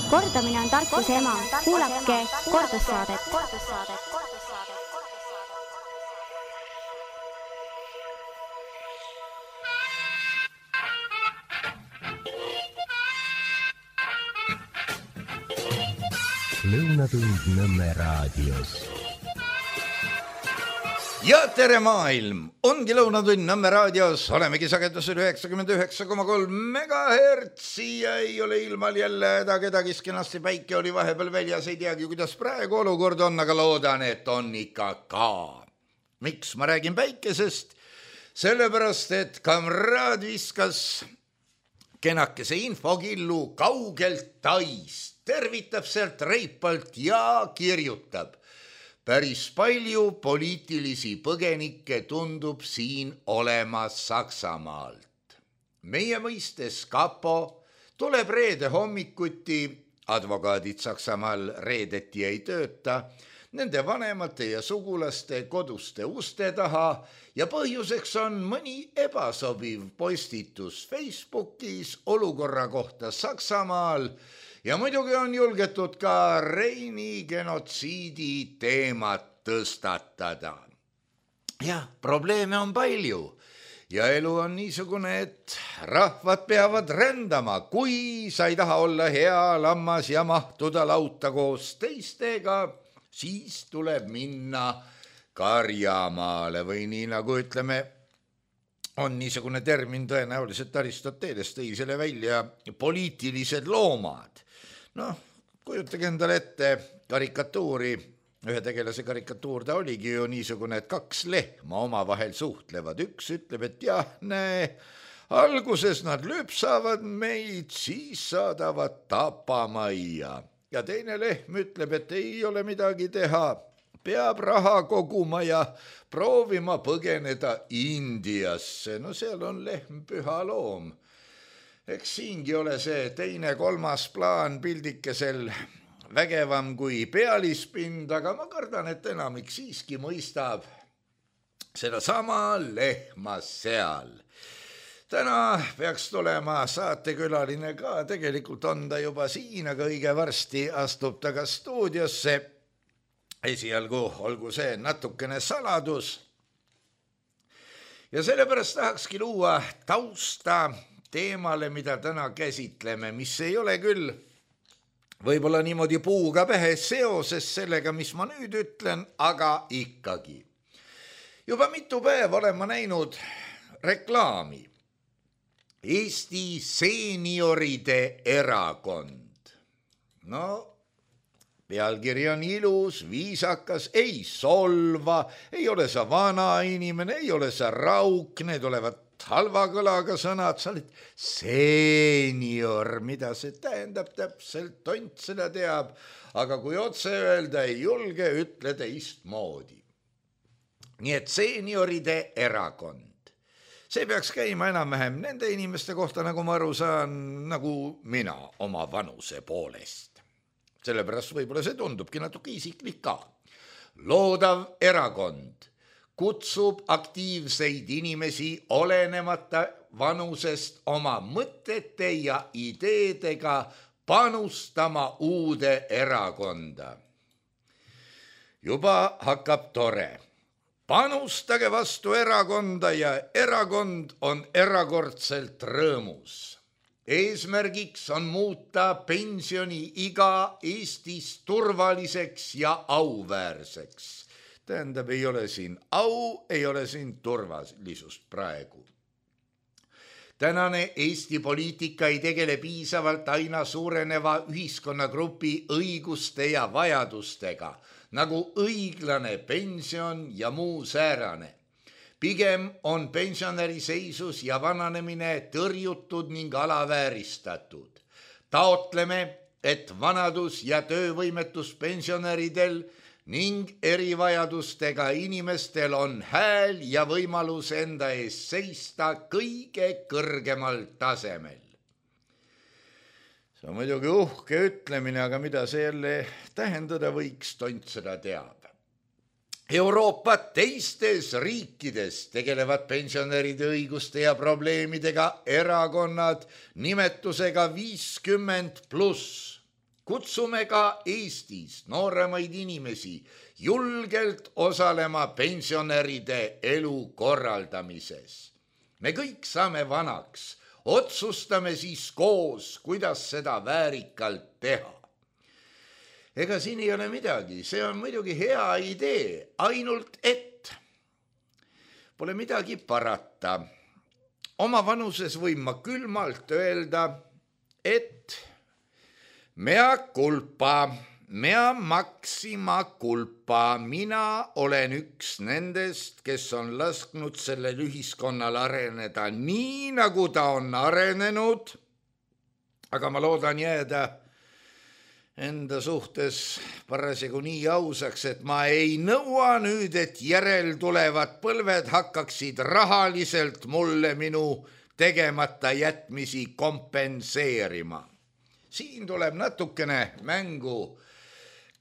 Kordamine on tarkuse ema. Kuulake kordussaadet. Lõunatund Nõmme raadios. Ja tere maailm! Ongi Lõunatund Nõmme raadios. Olemegi sagedusel 99,3 megahertsi ja ei ole ilmal jälle kedagi kenasti. Päike oli vahepeal väljas, ei teagi, kuidas praegu olukord on, aga loodan, et on ikka ka. Miks ma räägin päikesest? Sellepärast, et kamraad viskas kenakese infokillu kaugelt Taist. Tervitab sealt reipalt ja kirjutab. Päris palju poliitilisi põgenikke tundub siin olema Saksamaalt. Meie mõistes kapo tuleb reede hommikuti, advokaadid Saksamaal reedeti ei tööta, nende vanemate ja sugulaste koduste uste taha ja põhjuseks on mõni ebasobiv postitus Facebookis olukorra kohta Saksamaal. Ja muidugi on julgetud ka Reini genotsiidi teemat tõstatada. Ja probleeme on palju ja elu on niisugune, et rahvad peavad rändama. Kui sa ei taha olla hea lammas ja mahtuda lauta koos teistega, siis tuleb minna karjamaale või nii nagu ütleme, on niisugune termin tõenäoliselt Aristoteles tõi selle välja poliitilised loomad. Kujutage endale ette karikatuuri, ühe tegelase karikatuur ta oligi ju niisugune, et kaks lehma omavahel suhtlevad. Üks ütleb, et jah, näe, alguses nad lüpsavad meid, siis saadavad tapamajja. Ja teine lehm ütleb, et ei ole midagi teha, peab raha koguma ja proovima põgeneda Indiasse. Seal on lehm püha loom. Eks siingi ole see teine, kolmas plaan pildikesel vägevam kui pealispind, aga ma kardan, et enamik siiski mõistab seda sama lehma seal. Täna peaks tulema saatekülaline ka, tegelikult on ta juba siin, aga õige varsti astub ta ka stuudiosse. Esialgu olgu see natukene saladus. Ja sellepärast tahakski luua tausta teemale, mida täna käsitleme, mis ei ole küll võib-olla niimoodi puuga pähe seoses sellega, mis ma nüüd ütlen, aga ikkagi. Juba mitu päeva olen ma näinud reklaami. Eesti seenioride erakond. Pealkiri on ilus, viisakas, ei solva, ei ole sa vana inimene, ei ole sa rauk, need olevat halva kõlaga sõnad, sa oled seenior, mida see tähendab täpselt, tont seda teab, aga kui otse öelda ei julge, ütle teistmoodi. Nii et seenioride erakond. See peaks käima enam-vähem nende inimeste kohta, nagu ma aru saan, nagu mina oma vanuse poolest. Sellepärast võib-olla see tundubki natuke isiklik ka. Loodav erakond kutsub aktiivseid inimesi olenemata vanusest oma mõtete ja ideedega panustama uude erakonda. Juba hakkab tore. Panustage vastu erakonda ja erakond on erakordselt rõõmus. Eesmärgiks on muuta pensioniiga Eestis turvaliseks ja auväärseks. Tähendab, ei ole siin au, ei ole siin turvalisust praegu. Tänane Eesti poliitika ei tegele piisavalt aina suureneva ühiskonnagrupi õiguste ja vajadustega, nagu õiglane pension ja muu säärane. Pigem on pensionäri seisus ja vananemine tõrjutud ning alavääristatud. Taotleme, et vanadus- ja töövõimetus pensionäridel ning erivajadustega inimestel on hääl ja võimalus enda ees seista kõige kõrgemal tasemel. See on muidugi uhke ütlemine, aga mida see jälle tähendada võiks, tont seda teab. Euroopa teistes riikides tegelevad pensionäride õiguste ja probleemidega erakonnad nimetusega 50+. kutsume ka Eestis nooremaid inimesi julgelt osalema pensionäride elu korraldamises. Me kõik saame vanaks, otsustame siis koos, kuidas seda väärikalt teha. Ega siin ei ole midagi, see on muidugi hea idee, ainult et pole midagi parata. Oma vanuses võin ma külmalt öelda, et mea culpa, mea maxima culpa, mina olen üks nendest, kes on lasknud sellel ühiskonnal areneda nii, nagu ta on arenenud, aga ma loodan jääda enda suhtes parasjagu nii ausaks, et ma ei nõua nüüd, et järeltulevad põlved hakkaksid rahaliselt mulle minu tegemata jätmisi kompenseerima. Siin tuleb natukene mängu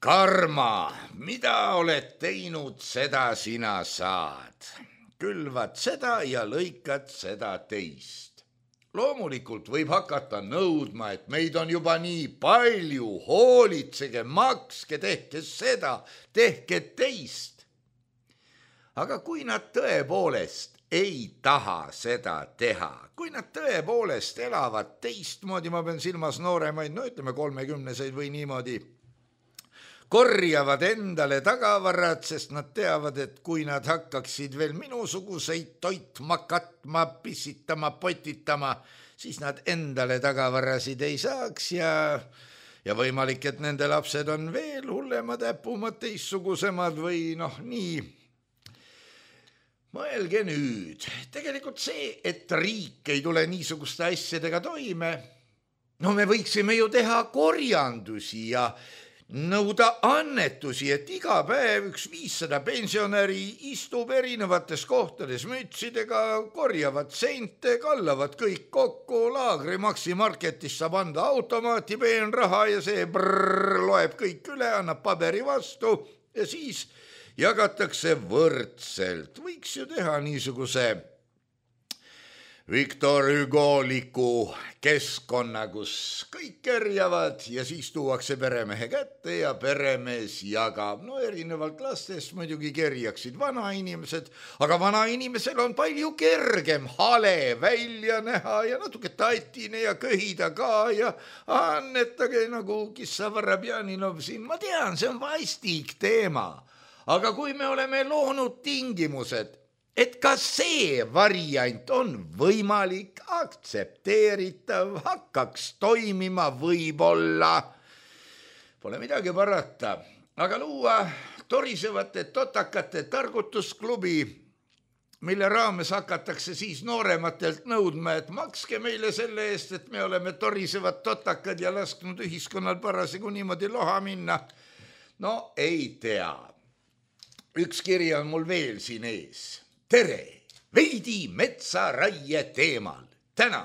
karma, mida oled teinud, seda sina saad. Külvad seda ja lõikad seda teist. Loomulikult võib hakata nõudma, et meid on juba nii palju, hoolitsege, makske, tehke seda, tehke teist. Aga kui nad tõepoolest ei taha seda teha, kui nad tõepoolest elavad teistmoodi, ma pean silmas nooremaid, no ütleme 30-seid või niimoodi, korjavad endale tagavarad, sest nad teavad, et kui nad hakkaksid veel minusuguseid toitma, katma, pissitama, potitama, siis nad endale tagavarasid ei saaks ja võimalik, et nende lapsed on veel hullemad, äpumad, teistsugusemad või noh, nii. Mõelge nüüd, tegelikult see, et riik ei tule niisuguste asjadega toime, no me võiksime ju teha korjandusi ja nõuda annetusi, et iga päev üks 500 pensionäri istub erinevates kohtades mütsidega, korjavad sente, kallavad kõik kokku, Laagri Maxi Marketis saab anda automaati peenraha ja see loeb kõik üle, annab paberi vastu ja siis jagatakse võrdselt. Võiks ju teha niisuguse Victor Hugo-liku keskkonna, kus kõik kerjavad ja siis tuuakse peremehe kätte ja peremees jagab. No erinevalt lastest muidugi kerjaksid vanainimesed, aga vanainimesel on palju kergem hale välja näha ja natuke tatine ja köhida ka ja annetage nagu Kissa Varabjaninov siin. Ma tean, see on vastik teema, aga kui me oleme loonud tingimused, et ka see variant on võimalik, aktsepteeritav, hakkaks toimima võib-olla. Pole midagi parata, aga luua torisevate totakate targutusklubi, mille raames hakatakse siis noorematelt nõudma, et makske meile selle eest, et me oleme torisevad totakad ja lasknud ühiskonnal parasjagu niimoodi loha minna. No ei tea. Üks kiri on mul veel siin ees. Tere, veidi metsaraie teemal. Täna,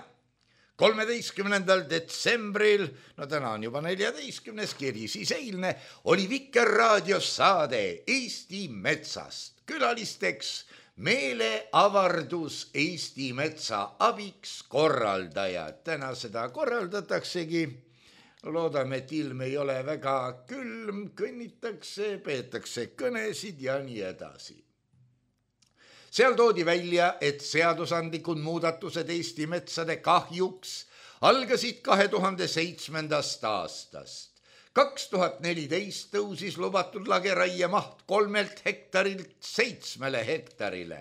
13. detsembril, no täna on juba 14. kiri, siis eilne oli Vikerraadios saade Eesti metsast. Külalisteks meeleavardus Eesti metsa abiks korraldajad. Täna seda korraldataksegi. Loodame, et ilm ei ole väga külm, kõnnitakse, peetakse kõnesid ja nii edasi. Seal toodi välja, et seadusandlikud muudatused Eesti metsade kahjuks algasid 2007. aastast. 2014 tõusis lubatud lageraie maht 3 hektarilt 7 hektarile.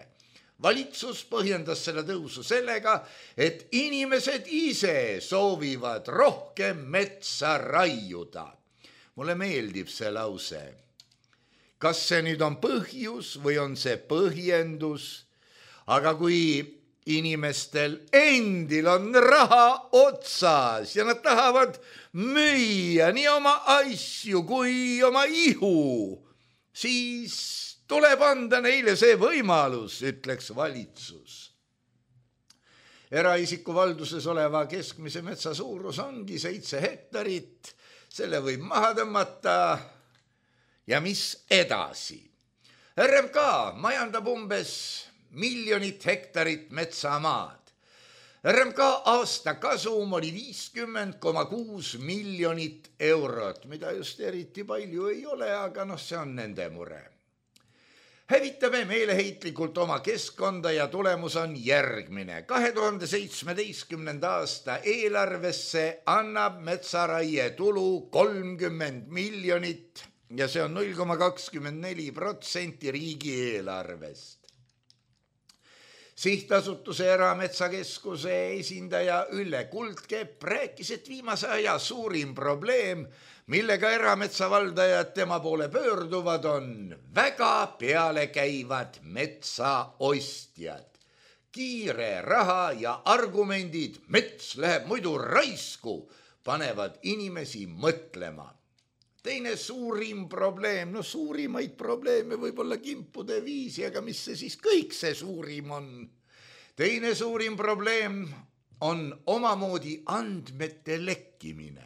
Valitsus põhjendas selle tõusu sellega, et inimesed ise soovivad rohkem metsa raiuda. Mulle meeldib see lause. Kas see nüüd on põhjus või on see põhjendus, aga kui inimestel endil on raha otsas ja nad tahavad müüa nii oma asju kui oma ihu, siis tuleb anda neile see võimalus, ütleks valitsus. Eraisiku valduses oleva keskmise metsa suurus ongi 7 hektarit, selle võib maha tõmmata. Ja mis edasi? RMK majandab umbes 1 000 000 hektarit metsamaad. RMK aasta kasum oli 50,6 miljonit eurot, mida just eriti palju ei ole, aga see on nende mure. Hävitame meeleheitlikult oma keskkonda ja tulemus on järgmine. 2017. aasta eelarvesse annab metsaraie tulu 30 miljonit ja see on 0,24% riigieelarvest. Sihtasutuse Erametsakeskuse esindaja Ülle Kuldkepp rääkis, et viimase aja suurim probleem, millega erametsavaldajad tema poole pöörduvad, on väga pealekäivad metsaostjad. Kiire raha ja argumendid, mets läheb muidu raisku, panevad inimesi mõtlema. Teine suurim probleem, suurimaid probleeme võib-olla kimpude viisi, aga mis see siis kõik see suurim on? Teine suurim probleem on omamoodi andmete lekkimine.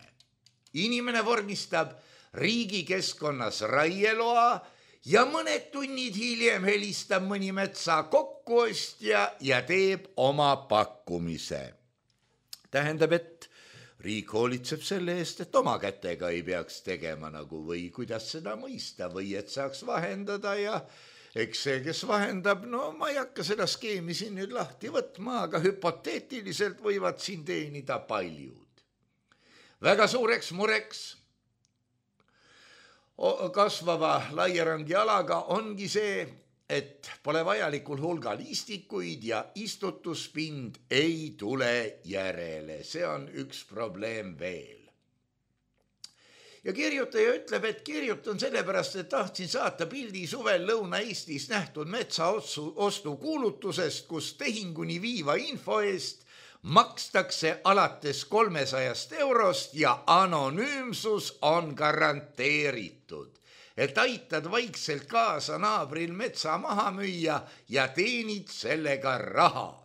Inimene vormistab riigi keskkonnas raieloa ja mõned tunnid hiljem helistab mõni metsa kokkuostja ja teeb oma pakkumise. Tähendab, et riik hoolitseb selle eest, et oma kätega ei peaks tegema või kuidas seda mõista või et saaks vahendada ja eks see, kes vahendab, ma ei hakka seda skeemi siin nüüd lahti võtma, aga hüpoteetiliselt võivad siin teenida paljud. Väga suureks mureks kasvava laierangi alaga ongi see, et pole vajalikul hulgal istikuid ja istutuspind ei tule järele. See on üks probleem veel. Ja kirjutaja ütleb, et kirjutan sellepärast, et tahtsin saata pildi suvel Lõuna-Eestis nähtud metsaostu kuulutusest, kus tehinguni viiva info eest makstakse alates 300 eurost ja anonüümsus on garanteeritud. Et aitad vaikselt kaasa naabril metsa maha müüa ja teenid sellega raha.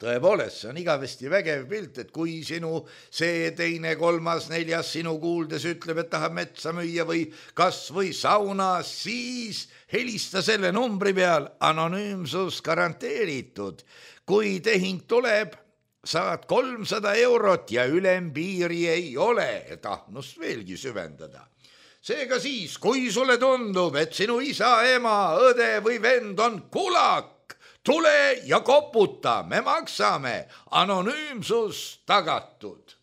Tõepoolest, see on igavesti vägev pilt, et kui sinu see teine, kolmas, neljas sinu kuuldes ütleb, et tahab metsa müüa või kas või sauna, siis helista selle numbri peal, anonüümsus garanteeritud. Kui tehing tuleb, saad 300 eurot ja ülempiiri ei ole, et ahnust veelgi süvendada. Seega siis, kui sulle tundub, et sinu isa, ema, õde või vend on kulak, tule ja koputa, me maksame, anonüümsus tagatud.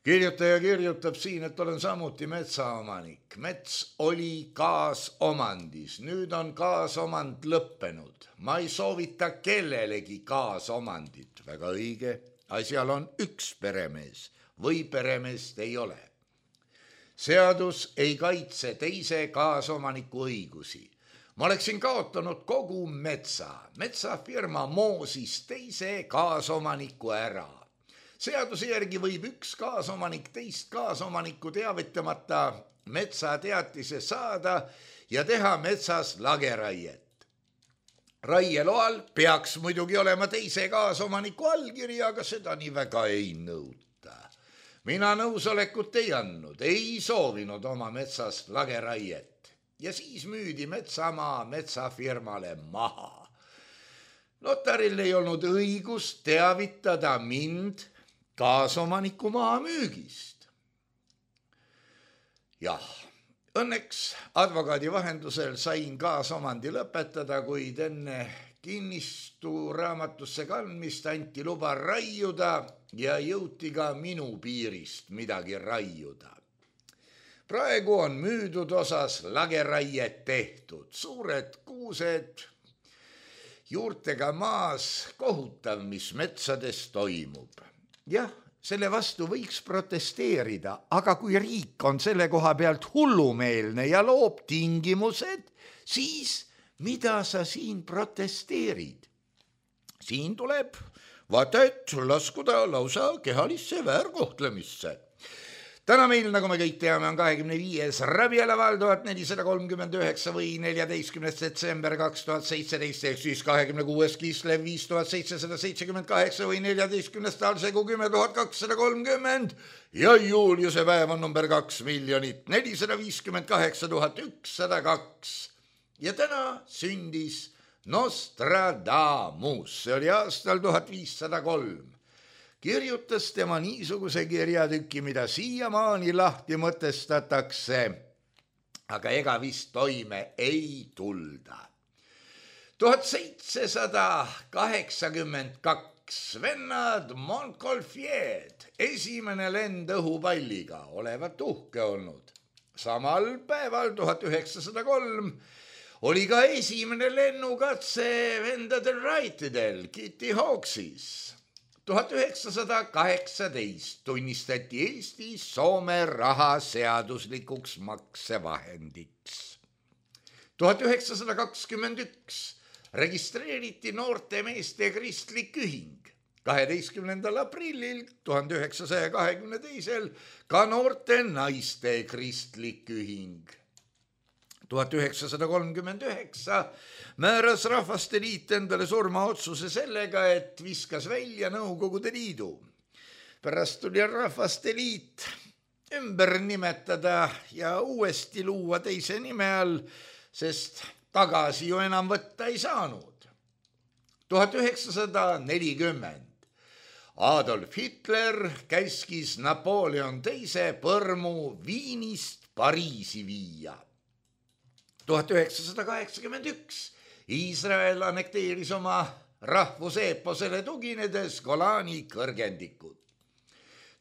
Kirjutaja kirjutab siin, et olen samuti metsaomanik. Mets oli kaasomandis, nüüd on kaasomand lõppenud. Ma ei soovita kellelegi kaasomandit, väga õige, asjal on üks peremees või peremeest ei ole. Seadus ei kaitse teise kaasomaniku õigusi. Ma oleksin kaotanud kogu metsafirma moosis teise kaasomaniku ära. Seaduse järgi võib üks kaasomanik teist kaasomanikku teavitamata metsateatise saada ja teha metsas lageraiet. Raieloal peaks muidugi olema teise kaasomaniku allkiri, aga seda nii väga ei nõuta. Mina nõusolekut ei andnud, ei soovinud oma metsas lageraiet ja siis müüdi metsamaa metsafirmale maha. Notaril ei olnud õigust teavitada mind kaasomaniku maa müügist. Jah, õnneks advokaadi vahendusel sain kaasomandi lõpetada, kuid enne kinnistu raamatusse kandmist anti luba raiuda ja jõuti ka minu piirist midagi raiuda. Praegu on müüdud osas lageraiet tehtud, suured kuused, juurtega maas, kohutav, mis metsades toimub. Jah, selle vastu võiks protesteerida, aga kui riik on selle koha pealt hullumeelne ja loob tingimused, siis mida sa siin protesteerid? Siin tuleb vaata, et laskuda lausa kehalisse väärkohtlemisse. Täna meil, nagu me kõik teame, on 25. Rabielaval 1439 või 14. detsember 2017, ehk siis 26. Kislev 5778 või 14. Talsegu 10230 ja Juliuse päev on number 2 458 102. Ja täna sündis Nostradamus, see oli aastal 1503. Kirjutas tema niisuguse kirjatüki, mida siiamaani lahti mõtestatakse, aga ega vist toime ei tulda. 1782 vennad Montgolfier, esimene lend õhupalliga, olevat uhke olnud. Samal päeval 1903 oli ka esimene lennukatse vendadel Wrightidel Kitty Hawksis. 1918 tunnistati Eestis Soome raha seaduslikuks maksevahendiks. 1921 registreeriti noorte meeste kristlik ühing. 12. aprillil 1922 ka noorte naiste kristlik ühing. 1939 määras Rahvaste Liit endale surmaotsuse sellega, et viskas välja Nõukogude Liidu. Pärast tuli Rahvaste Liit ümber nimetada ja uuesti luua teise nime all, sest tagasi ju enam võtta ei saanud. 1940 Adolf Hitler käskis Napoleon II põrmu Viinist Pariisi viia. 1981 Iisrael annekteeris oma rahvuseeposele tuginedes Golani kõrgendikud.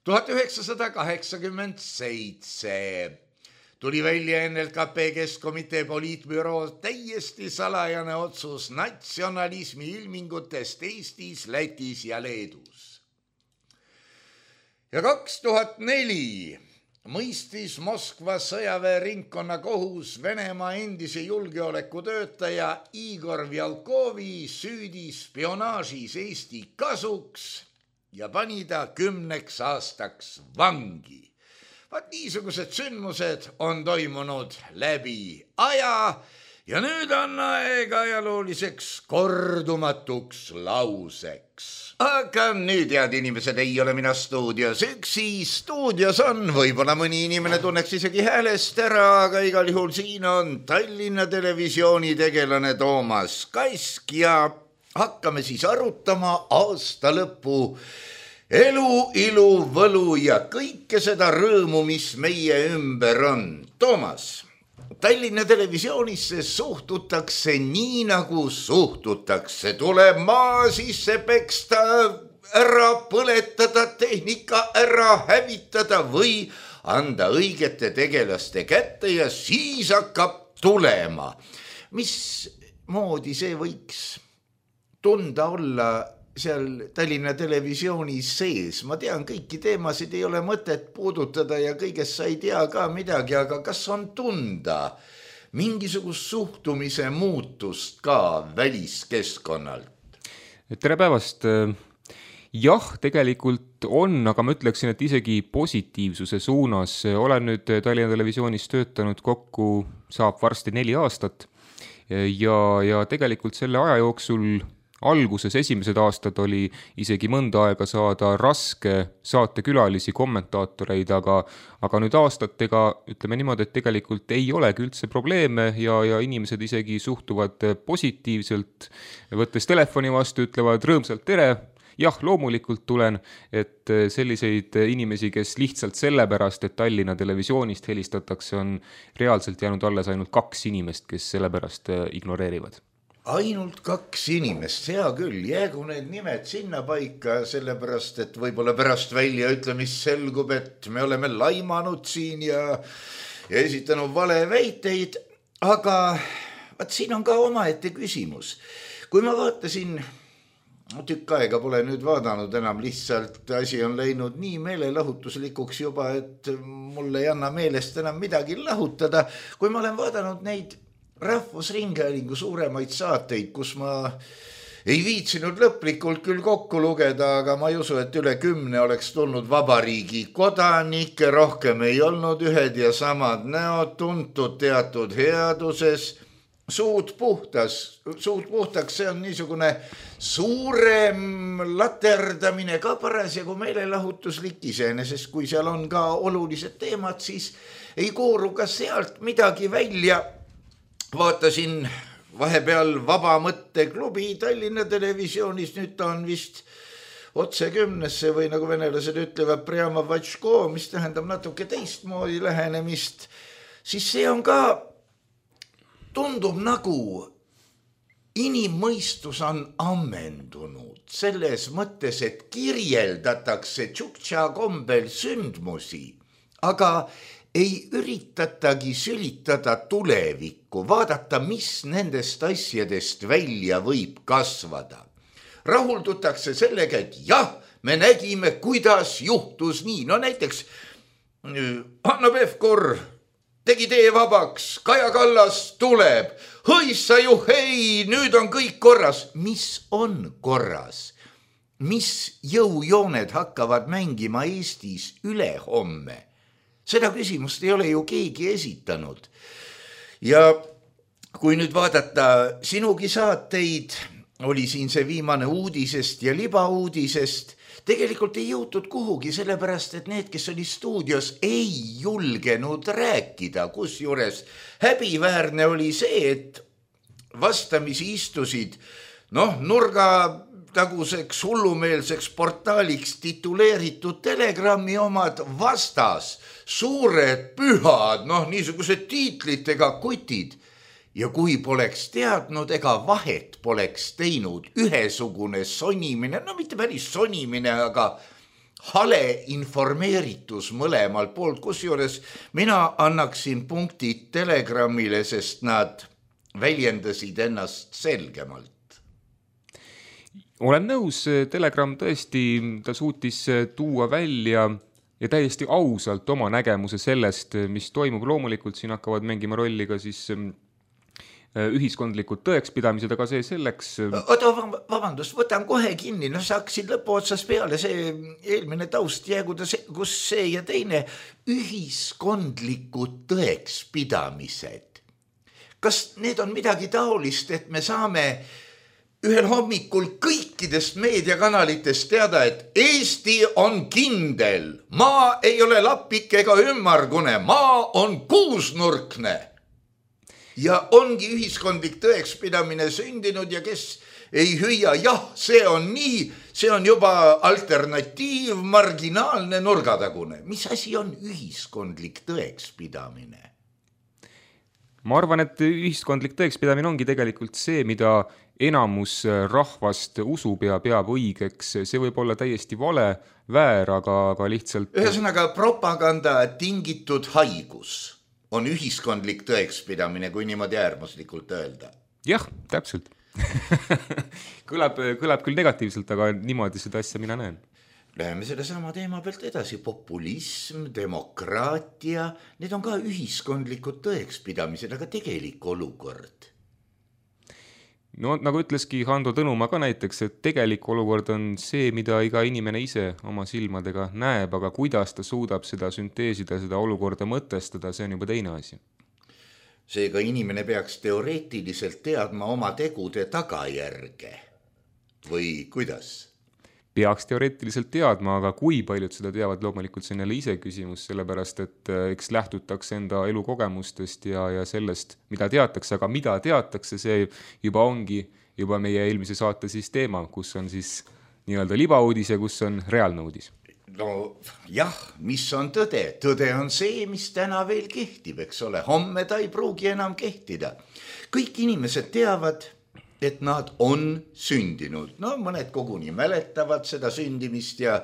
1987 tuli välja NLKP Keskkomitee poliitbüroo täiesti salajane otsus natsionalismi ilmingutest Eestis, Lätis ja Leedus. Ja 2004 mõistis Moskva sõjaväeringkonna kohus Venemaa endise julgeolekutöötaja Igor Vjalkovi süüdi spionaažis Eesti kasuks ja pani ta 10 aastaks vangi. Vaat niisugused sündmused on toimunud läbi aja ja nüüd on aeg ajalooliseks kordumatuks lauseks. Aga nüüd, head inimesed, ei ole mina stuudios üksi. Stuudios on, võib-olla mõni inimene tunneks isegi häälest ära, aga igal juhul siin on Tallinna Televisiooni tegelane Toomas Kask ja hakkame siis arutama aasta lõpu elu, ilu, võlu ja kõike seda rõõmu, mis meie ümber on. Toomas, Tallinna Televisioonisse suhtutakse nii, nagu suhtutakse. Tuleb maa sisse peksta, ära põletada, tehnika ära hävitada või anda õigete tegelaste kätte ja siis hakkab tulema. Mismoodi see võiks tunda olla seal Tallinna Televisiooni sees? Ma tean, kõiki teemasid ei ole mõtet puudutada ja kõigest sa ei tea ka midagi, aga kas on tunda mingisugust suhtumise muutust ka väliskeskkonnalt? Tere päevast! Jah, tegelikult on, aga ma ütleksin, et isegi positiivsuse suunas. Olen nüüd Tallinna Televisioonis töötanud kokku, saab varsti 4 aastat ja tegelikult selle aja jooksul alguses esimesed aastad oli isegi mõnda aega saada raske saatekülalisi, kommentaatoreid, aga nüüd aastatega ütleme niimoodi, et tegelikult ei olegi üldse probleeme ja inimesed isegi suhtuvad positiivselt, võttes telefoni vastu, ütlevad rõõmsalt tere. Jah, loomulikult tulen, et selliseid inimesi, kes lihtsalt sellepärast, et Tallinna Televisioonist helistatakse, on reaalselt jäänud alles ainult 2 inimest, kes sellepärast ignoreerivad. Ainult 2 inimest, hea küll, jäägu need nimed sinna paika, sellepärast, et võib-olla pärast väljaütlemist selgub, et me oleme laimanud siin ja esitanud valeväiteid, aga vaat siin on ka omaette küsimus. Kui ma vaatasin, tükk aega pole nüüd vaadanud enam, lihtsalt asi on läinud nii meelelahutuslikuks juba, et mulle ei anna meelest enam midagi lahutada. Kui ma olen vaadanud neid Rahvusringhäälingu suuremaid saateid, kus ma ei viitsinud lõplikult küll kokku lugeda, aga ma ei usu, et üle 10 oleks tulnud vabariigi kodanikke, rohkem ei olnud ühed ja samad näod, tuntud teatud headuses, suud puhtaks, see on niisugune suurem laterdamine ka parasjagu meelelahutuslik iseenesest, kui seal on ka olulised teemad, siis ei kooru ka sealt midagi välja. Vaatasin vahepeal Vaba mõtteklubi Tallinna Televisioonis, nüüd ta on vist otse 10-sse või nagu venelased ütlevad Priama Vatško, mis tähendab natuke teistmoodi lähenemist, siis see on ka, tundub nagu inimmõistus on ammendunud selles mõttes, et kirjeldatakse tšuktša kombel sündmusi, aga ei üritatagi sülitada tulevikku, vaadata, mis nendest asjadest välja võib kasvada. Rahuldutakse sellega, et jah, me nägime, kuidas juhtus nii. No näiteks Hanno Pevkur tegi tee vabaks, Kaja Kallas tuleb, hõissa juhei, nüüd on kõik korras. Mis on korras? Mis jõujooned hakkavad mängima Eestis ülehomme? Seda küsimust ei ole ju keegi esitanud. Ja kui nüüd vaadata sinugi saateid, oli siin see viimane uudisest ja libauudisest, tegelikult ei jõutud kuhugi, sellepärast, et need, kes oli stuudios, ei julgenud rääkida, kusjuures häbiväärne oli see, et vastamisi istusid nurgataguseks hullumeelseks portaaliks tituleeritud Telegrami omad vastas, suured pühad, niisugused tiitlitega kutid. Ja kui poleks teadnud, ega vahet poleks teinud, ühesugune sonimine, mitte päris sonimine, aga hale informeeritus mõlemal poolt, kusjuures mina annaksin punktid Telegramile, sest nad väljendasid ennast selgemalt. Olen nõus, Telegram tõesti, ta suutis tuua välja ja täiesti ausalt oma nägemuse sellest, mis toimub. Loomulikult siin hakkavad mängima rolli ka siis ühiskondlikud tõekspidamised, aga see selleks... Vabandust, võtan kohe kinni, sa hakkasid lõpu otsas peale, see eelmine taust jääguda, kus see ja teine ühiskondlikud tõekspidamised. Kas need on midagi taolist, et me saame ühel hommikul kõikidest meediakanalitest teada, et Eesti on kindel, maa ei ole lapik ega ümmargune, maa on kuusnurkne. Ja ongi ühiskondlik tõekspidamine sündinud ja kes ei hüüa, jah, see on nii, see on juba alternatiiv, marginaalne, nurgatagune. Mis asi on ühiskondlik tõekspidamine? Ma arvan, et ühiskondlik tõekspidamine ongi tegelikult see, mida enamus rahvast usub ja peab õigeks. See võib olla täiesti vale, väär, aga lihtsalt... Ühesõnaga propaganda tingitud haigus on ühiskondlik tõekspidamine, kui niimoodi äärmuslikult öelda. Jah, täpselt. kõlab küll negatiivselt, aga niimoodi seda asja mina näen. Läheme selle sama teema pealt edasi. Populism, demokraatia, need on ka ühiskondlikud tõekspidamised, aga tegelik olukord. No nagu ütleski Hando Tõnumaa ka näiteks, et tegelik olukord on see, mida iga inimene ise oma silmadega näeb, aga kuidas ta suudab seda sünteesida, seda olukorda mõtestada, see on juba teine asi. Seega inimene peaks teoreetiliselt teadma oma tegude tagajärge või kuidas? Peaks teoreetiliselt teadma, aga kui paljud seda teavad, loomulikult see on jälle ise küsimus, sellepärast et eks lähtutakse enda elukogemustest ja sellest, mida teatakse, aga mida teatakse, see juba ongi juba meie eelmise saate siis teema, kus on siis nii-öelda libauudis ja kus on reaalne uudis. No jah, mis on tõde? Tõde on see, mis täna veel kehtib, eks ole. Homme ta ei pruugi enam kehtida. Kõik inimesed teavad, et nad on sündinud. No mõned koguni mäletavad seda sündimist ja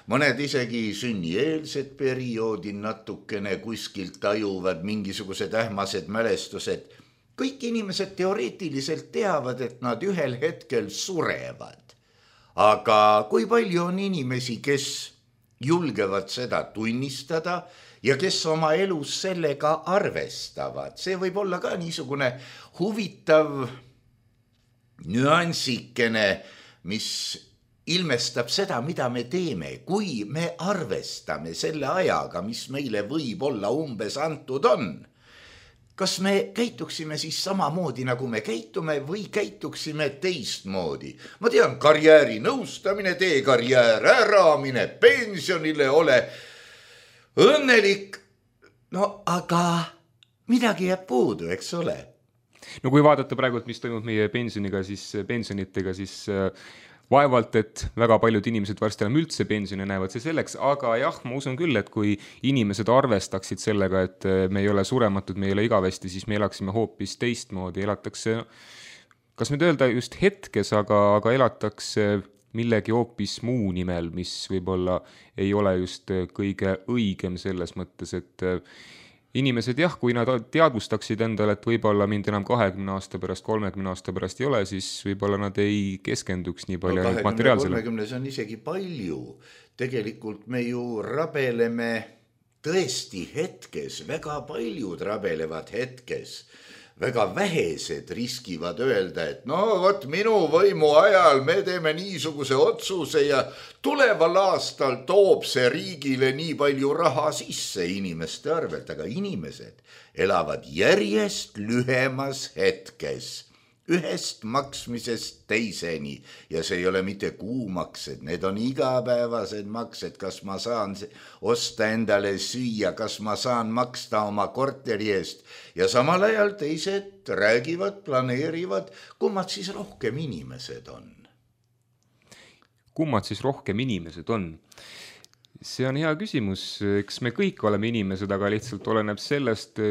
mõned isegi sünnieelsed perioodi natukene kuskilt tajuvad mingisugused ähmased mälestused. Kõik inimesed teoreetiliselt teavad, et nad ühel hetkel surevad. Aga kui palju on inimesi, kes julgevad seda tunnistada ja kes oma elus sellega arvestavad? See võib olla ka niisugune huvitav nüansikene, mis ilmestab seda, mida me teeme, kui me arvestame selle ajaga, mis meile võib olla umbes antud on. Kas me käituksime siis samamoodi, nagu me käitume või käituksime teistmoodi? Ma tean, karjääri nõustamine, tee karjäär ära, mine pensionile, ole õnnelik. No aga midagi jääb puudu, eks ole? no kui vaadata praegu, mis toimub meie pensionitega, siis vaevalt, et väga paljud inimesed varsti enam üldse pensioni näevad see selleks, aga jah, ma usun küll, et kui inimesed arvestaksid sellega, et me ei ole surematud, me ei ole igavesti, siis me elaksime hoopis teistmoodi, elatakse, kas nüüd öelda just hetkes, aga elatakse millegi hoopis muu nimel, mis võib-olla ei ole just kõige õigem selles mõttes, et inimesed jah, kui nad teadvustaksid endale, et võib-olla mind enam 20 aasta pärast, 30 aasta pärast ei ole, siis võib-olla nad ei keskenduks nii palju no, materiaalsele. 30 see on isegi palju. Tegelikult me ju rabeleme tõesti hetkes, väga paljud rabelevad hetkes. Väga vähesed riskivad öelda, et no vot minu võimu ajal me teeme niisuguse otsuse ja tuleval aastal toob see riigile nii palju raha sisse inimeste arvelt, aga inimesed elavad järjest lühemas hetkes, ühest maksmisest teiseni ja see ei ole mitte kuumaksed, need on igapäevased maksed, kas ma saan osta endale süüa, kas ma saan maksta oma korteri eest ja samal ajal teised räägivad, planeerivad, kummad siis rohkem inimesed on. Kummad siis rohkem inimesed on? See on hea küsimus, eks me kõik oleme inimesed, aga lihtsalt oleneb sellest,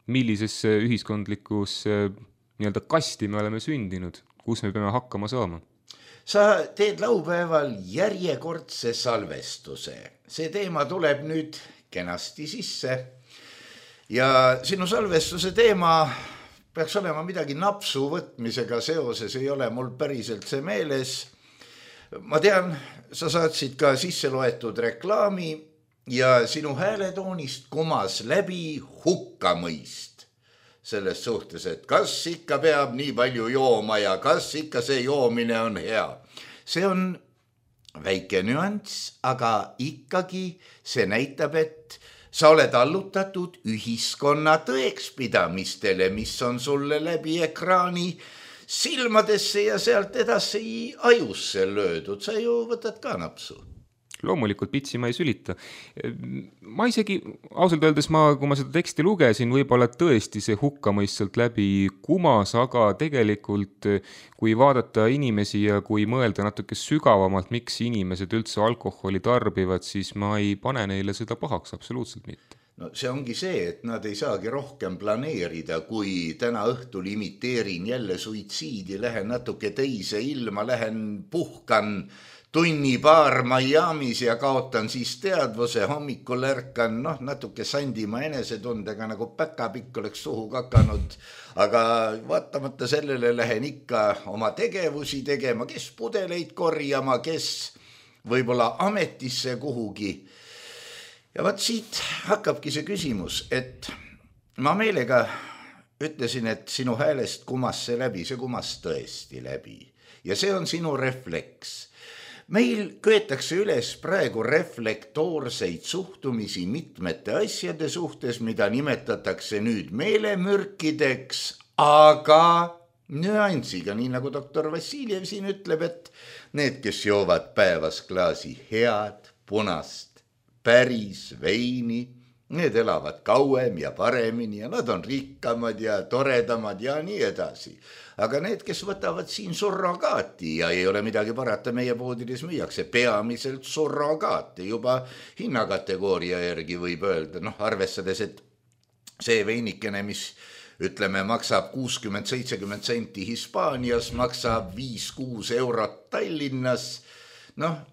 millisesse ühiskondlikus nii-öelda kasti me oleme sündinud, kus me peame hakkama saama. Sa teed laupäeval järjekordse salvestuse. See teema tuleb nüüd kenasti sisse ja sinu salvestuse teema peaks olema midagi napsu võtmisega seoses, ei ole mul päriselt see meeles. Ma tean, sa saatsid ka sisse loetud reklaami ja sinu hääletoonist kumas läbi hukkamõist. Selles suhtes, et kas ikka peab nii palju jooma ja kas ikka see joomine on hea. See on väike nüanss, aga ikkagi see näitab, et sa oled allutatud ühiskonna tõekspidamistele, mis on sulle läbi ekraani silmadesse ja sealt edasi ajusse löödud. Sa ju võtad ka napsu. Loomulikult pitsi ma ei sülita. Ma isegi, ausalt öeldes, kui ma seda teksti lugesin, võib-olla tõesti see hukkamõist sealt läbi kumas, aga tegelikult kui vaadata inimesi ja kui mõelda natuke sügavamalt, miks inimesed üldse alkoholi tarbivad, siis ma ei pane neile seda pahaks, absoluutselt mitte. No see ongi see, et nad ei saagi rohkem planeerida, kui täna õhtul imiteerin jälle suitsiidi, lähen natuke teise ilma, lähen puhkan tunni paar Miamis ja kaotan siis teadvuse, hommikul ärkan natuke sandima enesetundega, nagu päkapikk oleks suhu kakanud, aga vaatamata sellele lähen ikka oma tegevusi tegema, kes pudeleid korjama, kes võib-olla ametisse kuhugi. Ja vaat siit hakkabki see küsimus, et ma meelega ütlesin, et sinu häälest kumas see läbi, see kumas tõesti läbi ja see on sinu refleks. Meil köetakse üles praegu reflektoorseid suhtumisi mitmete asjade suhtes, mida nimetatakse nüüd meelemürkideks, aga nüansiga, nii nagu doktor Vassiljev siin ütleb, et need, kes joovad päevas klaasi head, punast, päris veini, need elavad kauem ja paremini ja nad on rikkamad ja toredamad ja nii edasi. Aga need, kes võtavad siin surrogaati ja ei ole midagi parata, meie poodides müüakse peamiselt surrogaati juba hinnakategooria järgi võib öelda, arvestades, et see veinikene, mis ütleme maksab 60-70 senti Hispaanias, maksab 5-6 eurot Tallinnas.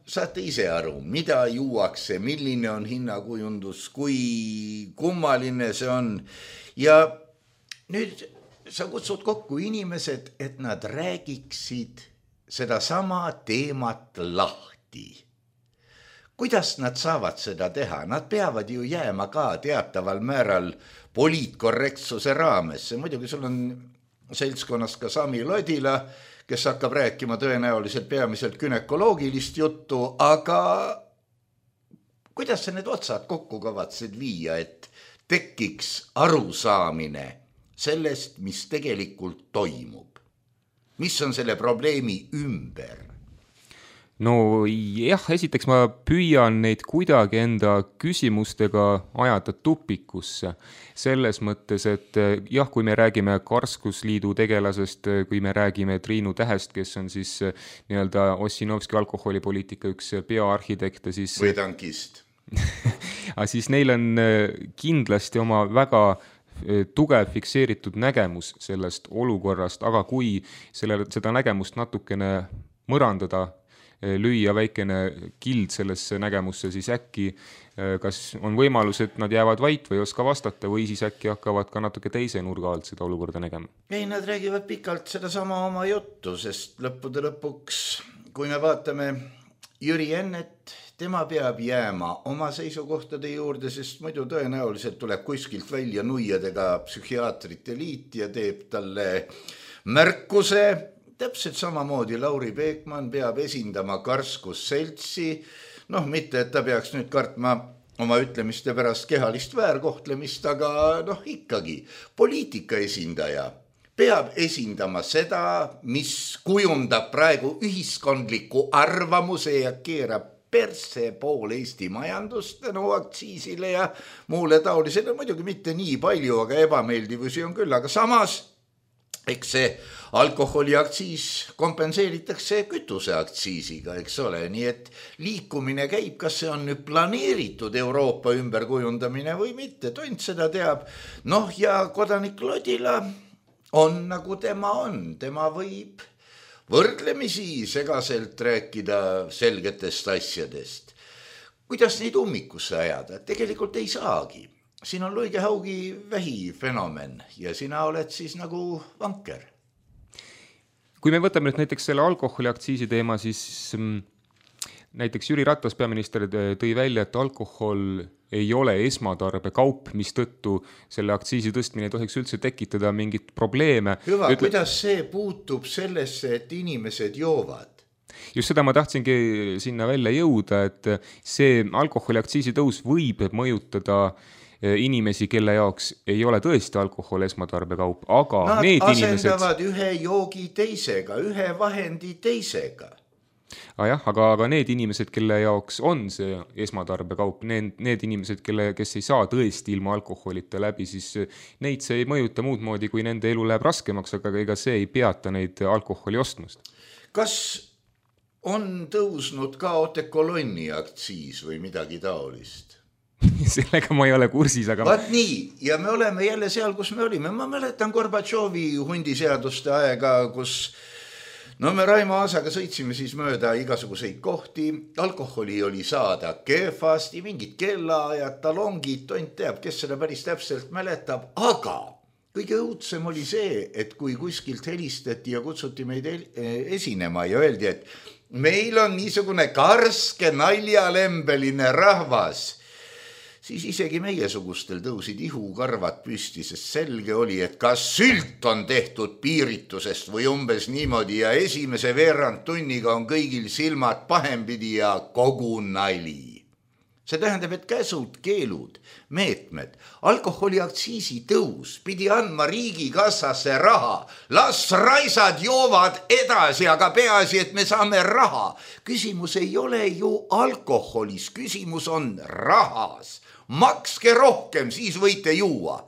Saate ise aru, mida juuakse, milline on hinnakujundus, kui kummaline see on. Ja nüüd sa kutsud kokku inimesed, et nad räägiksid seda sama teemat lahti. Kuidas nad saavad seda teha? Nad peavad ju jääma ka teataval määral poliitkorrektsuse raames. Muidugi sul on seltskonnas ka Sami Lodila, kes hakkab rääkima tõenäoliselt peamiselt gynekoloogilist juttu, aga kuidas sa need otsad kokku kavatsid viia, et tekiks arusaamine sellest, mis tegelikult toimub? Mis on selle probleemi ümber? no jah, esiteks ma püüan neid kuidagi enda küsimustega ajada tupikusse. Selles mõttes, et jah, kui me räägime Karskusliidu tegelasest, kui me räägime Triinu Tähest, kes on siis nii-öelda Ossinovski alkoholipoliitika üks peaarhitekte, siis või tankist. siis neil on kindlasti oma väga tugev fikseeritud nägemus sellest olukorrast, aga kui seda nägemust natukene mõrandada, lüüa väikene kild sellesse nägemusse, siis äkki kas on võimalus, et nad jäävad vait või ei oska vastata või siis äkki hakkavad ka natuke teise nurga alt seda olukorda nägema? Ei, nad räägivad pikalt sedasama oma juttu, sest lõppude lõpuks, kui me vaatame Jüri Ennet, tema peab jääma oma seisukohtade juurde, sest muidu tõenäoliselt tuleb kuskilt välja nuiadega psühhiaatrite liit ja teeb talle märkuse. Täpselt samamoodi Lauri Peekman peab esindama Karskusseltsi, mitte, et ta peaks nüüd kartma oma ütlemiste pärast kehalist väärkohtlemist, aga ikkagi poliitika esindaja peab esindama seda, mis kujundab praegu ühiskondliku arvamuse ja keerab perse pool Eesti majandust aktsiisile ja muule taolisele, muidugi mitte nii palju, aga ebameeldivusi on küll, aga samas eks see alkoholiaktsiis kompenseeritakse kütuseaktsiisiga, eks ole, nii et liikumine käib, kas see on nüüd planeeritud Euroopa ümberkujundamine või mitte, tont seda teab. Ja kodanik Lodila on nagu tema on, tema võib võrdlemisi segaselt rääkida selgetest asjadest. Kuidas neid ummikusse ajada? Tegelikult ei saagi. Siin on luigehaugi vähifenomen ja sina oled siis nagu vanker. Kui me võtame nüüd näiteks selle alkoholiaktsiisi teema, siis näiteks Jüri Ratas peaminister tõi välja, et alkohol ei ole esmatarbekaup, mis tõttu selle aktsiisi tõstmine ei tohiks üldse tekitada mingit probleeme. Hüva, kuidas see puutub sellesse, et inimesed joovad? Just seda ma tahtsingi sinna välja jõuda, et see alkoholiaktsiisi tõus võib mõjutada inimesi, kelle jaoks ei ole tõesti alkohol esmatarbekaup, aga nad need asendavad ühe joogi teisega, ühe vahendi teisega. Aga need inimesed, kelle jaoks on see esmatarbekaup, need inimesed, kes ei saa tõesti ilma alkoholita läbi, siis neid see ei mõjuta muud moodi, kui nende elu läheb raskemaks, aga ega see ei peata neid alkoholi ostmast. Kas on tõusnud ka otekolonni aktsiis või midagi taolist? Sellega ma ei ole kursis, aga... Vaat nii, ja me oleme jälle seal, kus me olime. Ma mäletan Gorbatšovi hundiseaduste aega, kus me Raimo Aasaga sõitsime siis mööda igasuguseid kohti. Alkoholi oli saada kehvasti, mingid kellaajad, talongid, tont teab, kes seda päris täpselt mäletab. Aga kõige õudsem oli see, et kui kuskilt helistati ja kutsuti meid esinema ja öeldi, et meil on niisugune karske naljalembeline rahvas, siis isegi meiesugustel tõusid ihukarvad püsti, sest selge oli, et kas sült on tehtud piiritusest või umbes niimoodi ja esimese veerand tunniga on kõigil silmad pahempidi ja kogu nali. See tähendab, et käsud, keelud, meetmed, alkoholiaktsiisi tõus pidi andma riigikassasse raha. Las raisad joovad edasi, aga peaasi, et me saame raha. Küsimus ei ole ju alkoholis, küsimus on rahas. Makske rohkem, siis võite juua.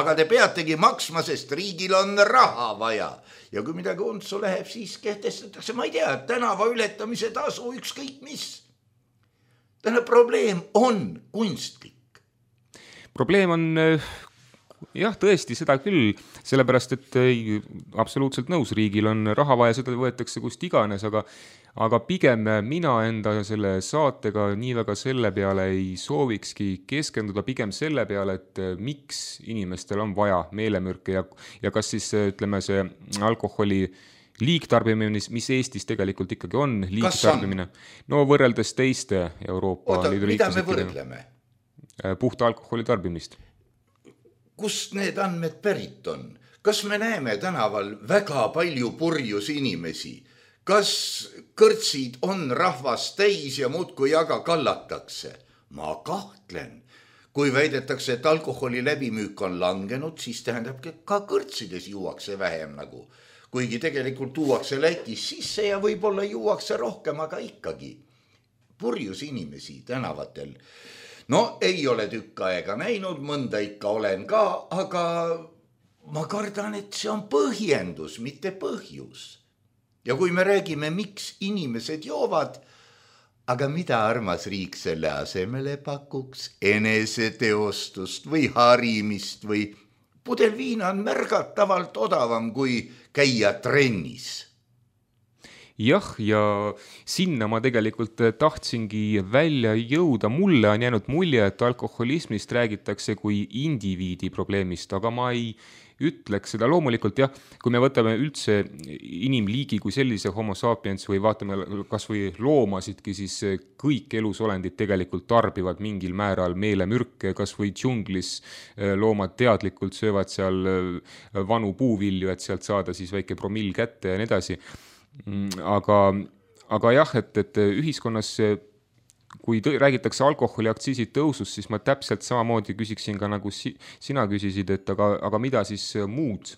Aga te peategi maksma, sest riigil on raha vaja. Ja kui midagi untsu läheb, siis kehtestatakse, ma ei tea, tänava ületamise tasu ükskõik mis. Täna probleem on kunstlik. Probleem on, jah, tõesti seda küll, sellepärast, et absoluutselt nõus, riigil on raha vaja, seda võetakse kust iganes, aga pigem mina enda selle saatega nii väga selle peale ei soovikski keskenduda, pigem selle peale, et miks inimestel on vaja meelemürke ja kas siis, ütleme, see alkoholi liigtarbimine, mis Eestis tegelikult ikkagi on liigtarbimine, no võrreldes teiste Euroopa Liidu liikmesriikidega. Mida me võrdleme? Puhta alkoholi tarbimist. Kust need andmed pärit on? Kas me näeme tänaval väga palju purjus inimesi? Kas kõrtsid on rahvast täis ja muudkui aga kallatakse? Ma kahtlen. Kui väidetakse, et alkoholi läbimüük on langenud, siis tähendab, et ka kõrtsides juuakse vähem nagu. kuigi tegelikult tuuakse Lätis sisse ja võib-olla juuakse rohkem, aga ikkagi purjus inimesi tänavatel. No ei ole tükk aega näinud, mõnda ikka olen ka, aga ma kardan, et see on põhjendus, mitte põhjus. Ja kui me räägime, miks inimesed joovad, aga mida armas riik selle asemele pakuks, eneseteostust või harimist või pudel viina on märgatavalt odavam kui käia trennis. Jah, ja sinna ma tegelikult tahtsingi välja jõuda. Mulle on jäänud mulje, et alkoholismist räägitakse kui indiviidi probleemist, aga ma ei ütleks seda. Loomulikult jah, kui me võtame üldse inimliigi kui sellise homo sapiens või vaatame kas või loomasidki, siis kõik elusolendid tegelikult tarbivad mingil määral meelemürke, kas või džunglis loomad teadlikult söövad seal vanu puuvilju, et sealt saada siis väike promill kätte ja nii edasi. Aga jah, et ühiskonnas, kui räägitakse alkoholiaktsiisi tõusust, siis ma täpselt samamoodi küsiksin ka nagu sina küsisid, et aga mida siis muud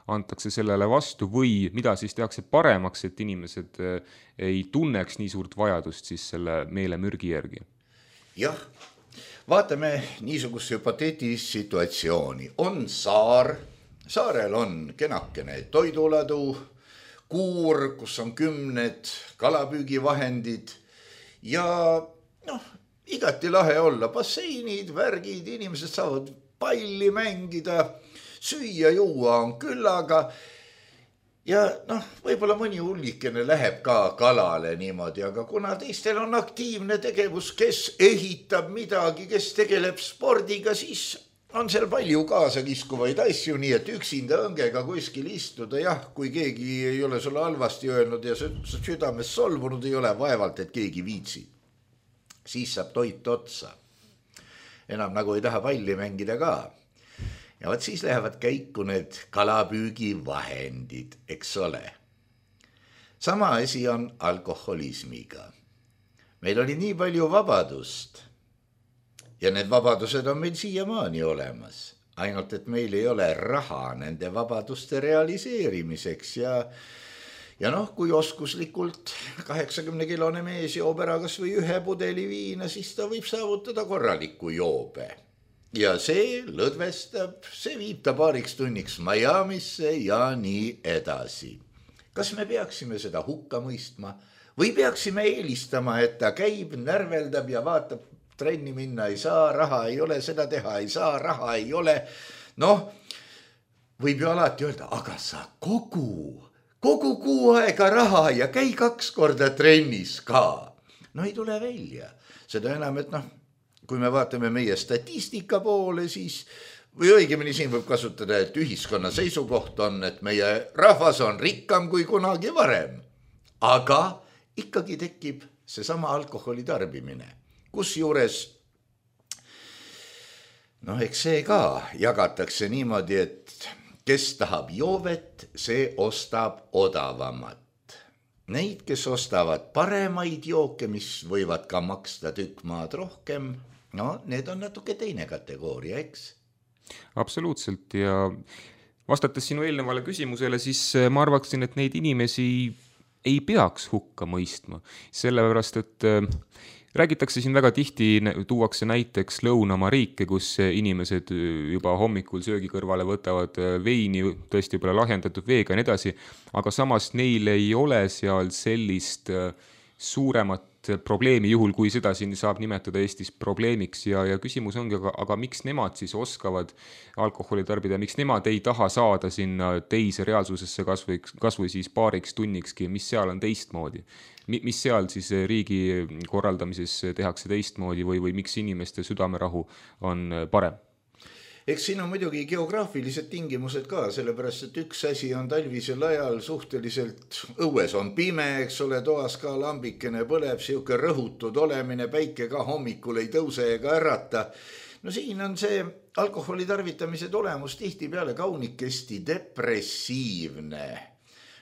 antakse sellele vastu või mida siis tehakse paremaks, et inimesed ei tunneks nii suurt vajadust siis selle meelemürgi järgi? Jah, vaatame niisugust hüpoteetilist situatsiooni. On saar, saarel on kenakene toiduladu, kuur, kus on 10 kalapüügivahendid ja igati lahe olla, basseinid, värgid, inimesed saavad palli mängida, süüa, juua on küllaga ja võib-olla mõni hullikene läheb ka kalale niimoodi, aga kuna teistel on aktiivne tegevus, kes ehitab midagi, kes tegeleb spordiga, siis on seal palju kaasakiskuvaid asju, nii et üksinda õngega kuskil istuda, jah, kui keegi ei ole sulle halvasti öelnud ja südames solvunud ei ole, vaevalt, et keegi viitsib. Siis saab toit otsa. Enam nagu ei taha palli mängida ka. Ja võt siis lähevad käiku need kalapüügivahendid, eks ole. Sama asi on alkoholismiga. Meil oli nii palju vabadust. Ja need vabadused on meil siiamaani olemas. Ainult, et meil ei ole raha nende vabaduste realiseerimiseks ja kui oskuslikult 80-kilone mees joob ära kas või 1 pudeli viina, siis ta võib saavutada korraliku joobe. Ja see lõdvestab, see viib ta paariks tunniks Miamisse ja nii edasi. Kas me peaksime seda hukka mõistma või peaksime eelistama, et ta käib, närveldab ja vaatab, trenni minna ei saa, raha ei ole, seda teha ei saa, raha ei ole. Võib ju alati öelda, aga sa kogu kuu aega raha ja käi 2 korda trennis ka. Ei tule välja. Seda enam, et kui me vaatame meie statistika poole, siis või õigemini siin võib kasutada, et ühiskonna seisukoht on, et meie rahvas on rikkam kui kunagi varem. Aga ikkagi tekib seesama alkoholi tarbimine. Kusjuures, eks see ka jagatakse niimoodi, et kes tahab joovet, see ostab odavamat. Neid, kes ostavad paremaid jooke, mis võivad ka maksta tükk maad rohkem, need on natuke teine kategooria, eks? Absoluutselt ja vastates sinu eelnevale küsimusele, siis ma arvaksin, et neid inimesi ei peaks hukka mõistma, sellepärast, et räägitakse siin väga tihti, tuuakse näiteks Lõunamaa riike, kus inimesed juba hommikul söögi kõrvale võtavad veini, tõesti võib-olla lahjendatud veega ja nii edasi, aga samas neil ei ole seal sellist suuremat probleemi, juhul kui seda siin saab nimetada Eestis probleemiks ja küsimus ongi, aga miks nemad siis oskavad alkoholi tarbida, miks nemad ei taha saada sinna teise reaalsusesse kas või siis paariks tunnikski, mis seal on teistmoodi? Mis seal siis riigi korraldamises tehakse teistmoodi või miks inimeste südamerahu on parem? Eks siin on muidugi geograafilised tingimused ka, sellepärast, et üks asi on talvisel ajal suhteliselt õues on pime, eks ole, toas ka lambikene põleb, siuke rõhutud olemine, päike ka hommikul ei tõuse ega ärata. Siin on see alkoholi tarvitamise tulemus tihtipeale kaunikesti depressiivne.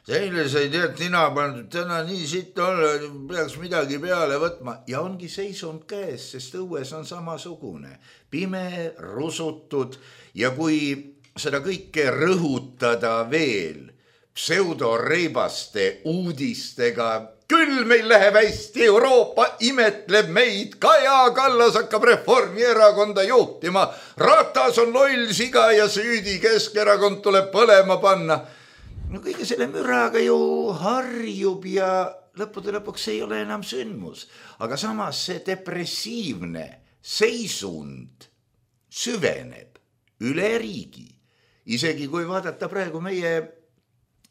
Seile sa ei tead, nina pandud täna nii sitt olla, peaks midagi peale võtma. Ja ongi seisund käes, sest õues on samasugune. Pime, rusutud ja kui seda kõike rõhutada veel pseudoreibaste uudistega. Küll meil läheb hästi, Euroopa imetleb meid, Kaja Kallas hakkab Reformierakonda juhtima, Ratas on loll siga ja süüdi, Keskerakond tuleb põlema panna. No kõige selle müraga ju harjub ja lõppude lõpuks ei ole enam sündmus. Aga samas see depressiivne seisund süveneb üle riigi. Isegi kui vaadata praegu meie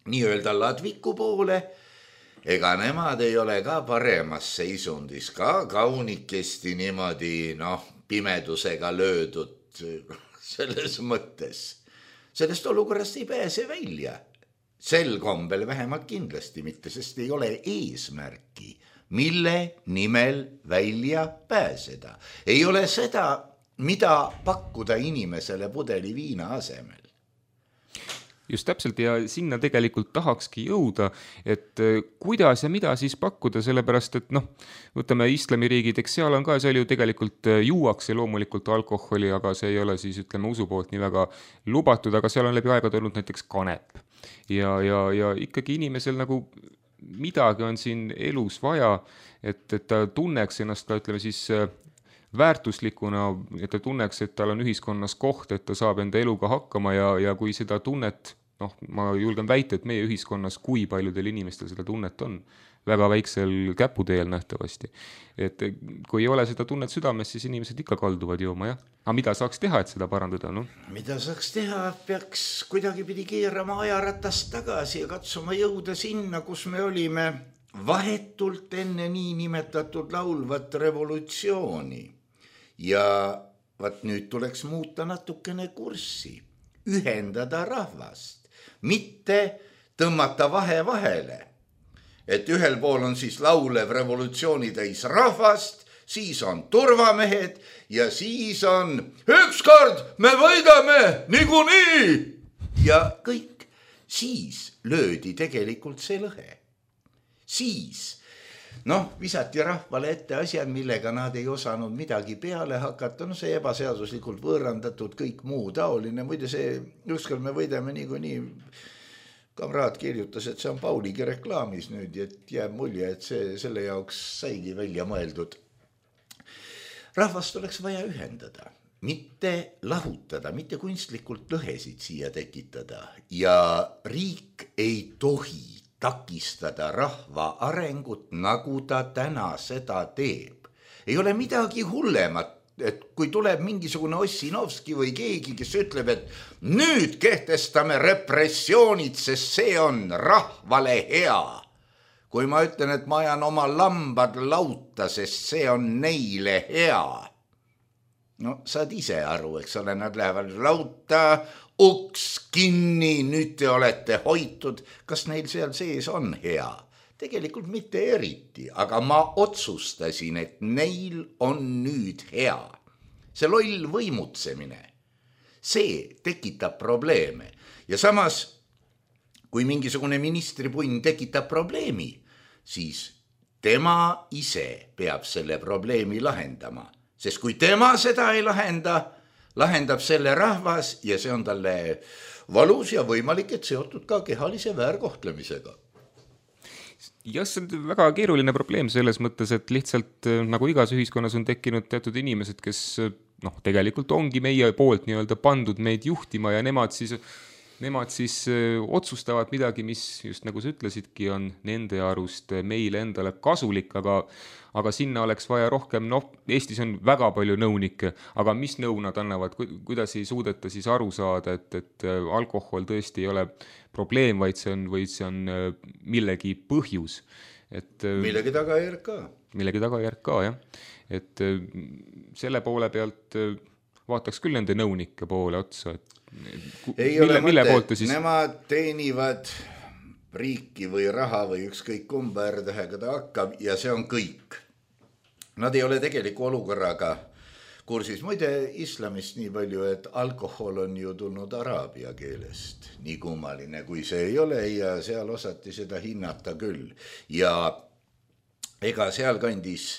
nii-öelda Ladviku poole, ega nemad ei ole ka paremas seisundis, ka kaunikesti niimoodi pimedusega löödud selles mõttes. Sellest olukorrast ei pääse välja. Sel kombel vähemalt kindlasti mitte, sest ei ole eesmärki, mille nimel välja pääseda. Ei ole seda, mida pakkuda inimesele pudeli viina asemel. Just täpselt ja sinna tegelikult tahakski jõuda, et kuidas ja mida siis pakkuda, sellepärast, et võtame islamiriigid, eks seal on ka, seal ju tegelikult juuakse loomulikult alkoholi, aga see ei ole siis usu poolt nii väga lubatud, aga seal on läbi aega tulnud näiteks kanep. Ja ikkagi inimesel nagu midagi on siin elus vaja, et ta tunneks ennast ka, ütleme siis väärtuslikuna, et ta tunneks, et tal on ühiskonnas koht, et ta saab enda eluga hakkama ja kui seda tunnet, ma julgen väita, et meie ühiskonnas, kui paljudel inimestel seda tunnet on, väga väiksel käputeel nähtavasti. Et kui ei ole seda tunnet südames, siis inimesed ikka kalduvad jooma, jah. Aga mida saaks teha, et seda parandada? Mida saaks teha? Peaks kuidagi pidi keerama ajaratast tagasi ja katsuma jõuda sinna, kus me olime vahetult enne nii nimetatud laulvat revolutsiooni. Ja nüüd tuleks muuta natukene kurssi, ühendada rahvast, mitte tõmmata vahele. Et ühel pool on siis laulev revolutsiooni täis rahvast, siis on turvamehed ja siis on ükskord me võidame niikuinii. Ja kõik. Siis löödi tegelikult see lõhe. Siis visati rahvale ette asjad, millega nad ei osanud midagi peale hakata. See ebaseaduslikult võõrandatud kõik muu taoline. Muide see ükskord me võidame niikuinii. Kamraad kirjutas, et see on Pauligi reklaamis nüüd, et jääb mulje, et selle jaoks saigi välja mõeldud. Rahvast oleks vaja ühendada, mitte lahutada, mitte kunstlikult lõhesid siia tekitada. Ja riik ei tohi takistada rahva arengut, nagu ta täna seda teeb. Ei ole midagi hullemat, et kui tuleb mingisugune Ossinovski või keegi, kes ütleb, et nüüd kehtestame repressioonid, sest see on rahvale hea. Kui ma ütlen, et ma ajan oma lambad lauta, sest see on neile hea. Saad ise aru, eks ole, nad lähevad lauta, uks kinni, nüüd te olete hoitud. Kas neil seal sees on hea? Tegelikult mitte eriti, aga ma otsustasin, et neil on nüüd hea. See loll võimutsemine, see tekitab probleeme. Ja samas, kui mingisugune ministripunn tekitab probleemi, siis tema ise peab selle probleemi lahendama. Sest kui tema seda ei lahendab selle rahvas ja see on talle valus ja võimalik, et seotud ka kehalise väärkohtlemisega. Jah, see on väga keeruline probleem selles mõttes, et lihtsalt nagu igas ühiskonnas on tekkinud teatud inimesed, kes tegelikult ongi meie poolt nii-öelda pandud meid juhtima ja nemad siis otsustavad midagi, mis just nagu sa ütlesidki, on nende arust meile endale kasulik, aga sinna oleks vaja rohkem, Eestis on väga palju nõunikke, aga mis nõu nad annavad, kuidas ei suudeta siis aru saada, et alkohol tõesti ei ole probleem, vaid see on millegi põhjus. Millegi tagajärg ka. Millegi tagajärg ka, jah. Et selle poole pealt vaataks küll nende nõunike poole otsa, et ei ole mõte, nemad teenivad riiki või raha või ükskõik kumba R-tähega ta hakkab ja see on kõik. Nad ei ole tegeliku olukorraga kursis. Muide, islamist nii palju, et alkohol on ju tulnud araabia keelest. Nii kummaline kui see ei ole ja seal osati seda hinnata küll. Ja ega seal kandis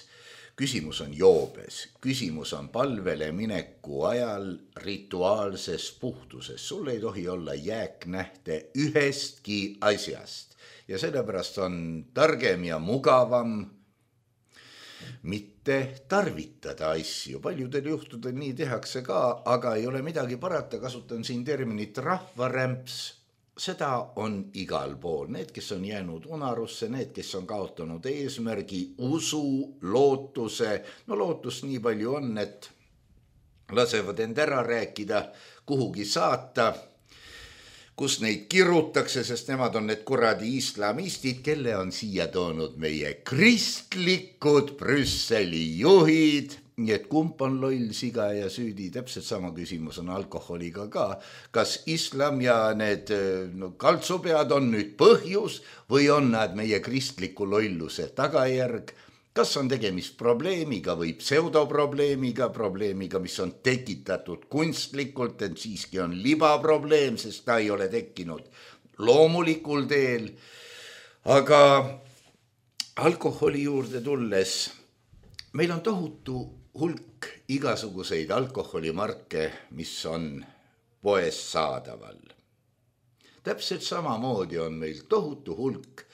küsimus on joobes, küsimus on palvele mineku ajal rituaalses puhtuses. Sul ei tohi olla jääknähte ühestki asjast ja sellepärast on targem ja mugavam mitte tarvitada asju. Paljudel juhtudel nii tehakse ka, aga ei ole midagi parata, kasutan siin terminit rahvarämps. Seda on igal pool. Need, kes on jäänud unarusse, need, kes on kaotanud eesmärgi, usu, lootuse. No lootus nii palju on, et lasevad end ära rääkida, kuhugi saata, kus neid kirutakse, sest nemad on need kuradi islamistid, kelle on siia toonud meie kristlikud Brüsseli juhid. Nii et kump on loll, siga ja süüdi, täpselt sama küsimus on alkoholiga ka. Kas islam ja need kaltsupead on nüüd põhjus või on nad meie kristliku lolluse tagajärg? Kas on tegemist probleemiga või pseudoprobleemiga, probleemiga, mis on tekitatud kunstlikult, et siiski on libaprobleem, sest ta ei ole tekkinud loomulikul teel. Aga alkoholi juurde tulles, meil on tohutu hulk igasuguseid alkoholimarke, mis on poes saadaval. Täpselt samamoodi on meil tohutu hulk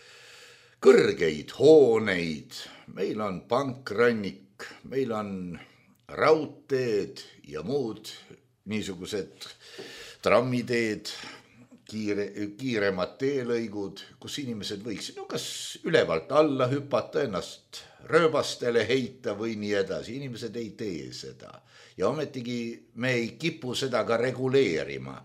kõrgeid hooneid, meil on pankrannik, meil on raudteed ja muud niisugused trammiteed, kiiremad teelõigud, kus inimesed võiksid kas ülevalt alla hüpata, ennast rööbastele heita või nii edasi. Inimesed ei tee seda. Ja ometigi me ei kipu seda ka reguleerima.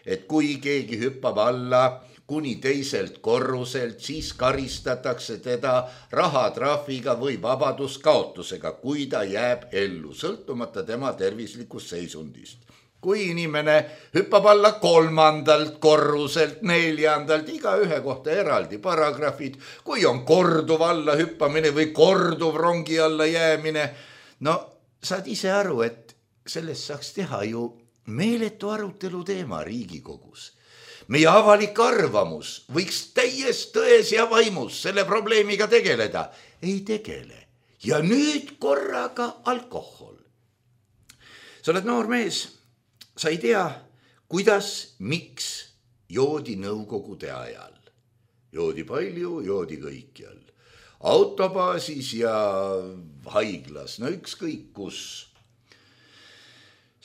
Et kui keegi hüppab alla kuni teiselt korruselt, siis karistatakse teda rahatrahviga või vabaduskaotusega, kui ta jääb ellu, sõltumata tema tervislikust seisundist. Kui inimene hüppab alla 3. korruselt, 4. iga ühe kohta eraldi paragrahvid, kui on korduv alla hüppamine või korduv rongi alla jäämine, no saad ise aru, et sellest saaks teha ju meeletu arutelu teema Riigikogus. Meie avalik arvamus võiks täies tões ja vaimus selle probleemiga tegeleda. Ei tegele. Ja nüüd korraga alkohol. Sa oled noor mees. Sa ei tea, kuidas, miks joodi nõukogude ajal. Joodi palju, joodi kõikjal. Autobaasis ja haiglas, no ükskõik kus.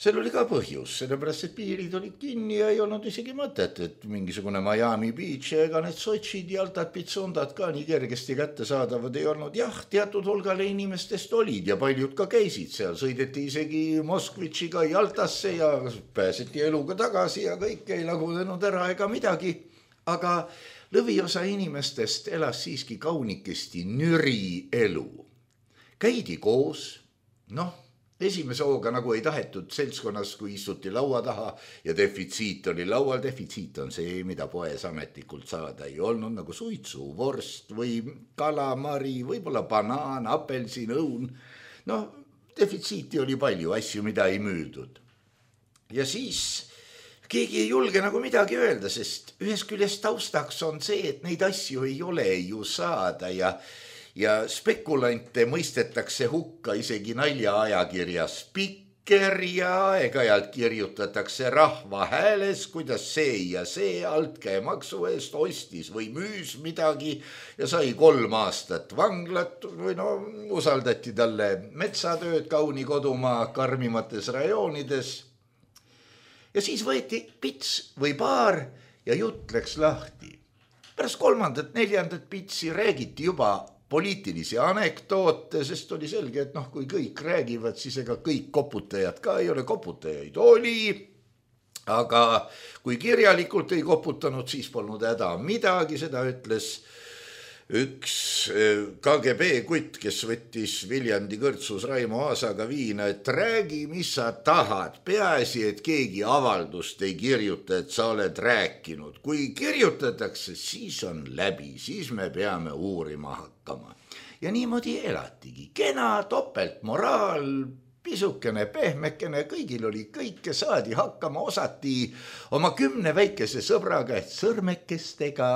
Seal oli ka põhjus, sellepärast, et piirid olid kinni ja ei olnud isegi mõtet, et mingisugune Miami Beach ega need Sotšid ja Altad Pitsundad ka nii kergesti kätte saadavad ei olnud. Jah, teatud hulgale inimestest olid ja paljud ka käisid seal, sõideti isegi Moskvitšiga Jaltasse ja pääseti eluga tagasi ja kõik ei lagunenud ära ega midagi. Aga lõviosa inimestest elas siiski kaunikesti nüri elu. Käidi koos, esimese hooga nagu ei tahetud seltskonnas, kui istuti laua taha ja defitsiit oli laual. Defitsiit on see, mida poes ametlikult saada ei olnud, nagu suitsu, vorst või kalamari, võib-olla banaan, apelsin, õun. Defitsiiti oli palju asju, mida ei müüdud. Ja siis keegi ei julge nagu midagi öelda, sest ühes küljest taustaks on see, et neid asju ei ole ju saada ja spekulante mõistetakse hukka isegi naljaajakirjas Spikker ja aeg-ajalt kirjutatakse rahva hääles, kuidas see ja see altkäemaksu eest ostis või müüs midagi ja sai 3 aastat vanglat või usaldati talle metsatööd kauni kodumaa karmimates rajoonides. Ja siis võeti pits või paar ja jutt läks lahti. Pärast 3., 4. pitsi räägiti juba poliitilisi anekdoote, sest oli selge, et kui kõik räägivad, siis ega kõik koputajad ka ei ole, koputajaid oli, aga kui kirjalikult ei koputanud, siis polnud häda midagi, seda ütles üks KGB kutt, kes võttis Viljandi kõrtsus Raimo Aasaga viina, et räägi, mis sa tahad, peaasi, et keegi avaldust ei kirjuta, et sa oled rääkinud. Kui kirjutatakse, siis on läbi, siis me peame uurima hakkama. Ja niimoodi elatigi. Kena topeltmoraal, pisukene, pehmekene, kõigil oli kõike, saadi hakkama, osati oma 10 väikese sõbraga, et sõrmekestega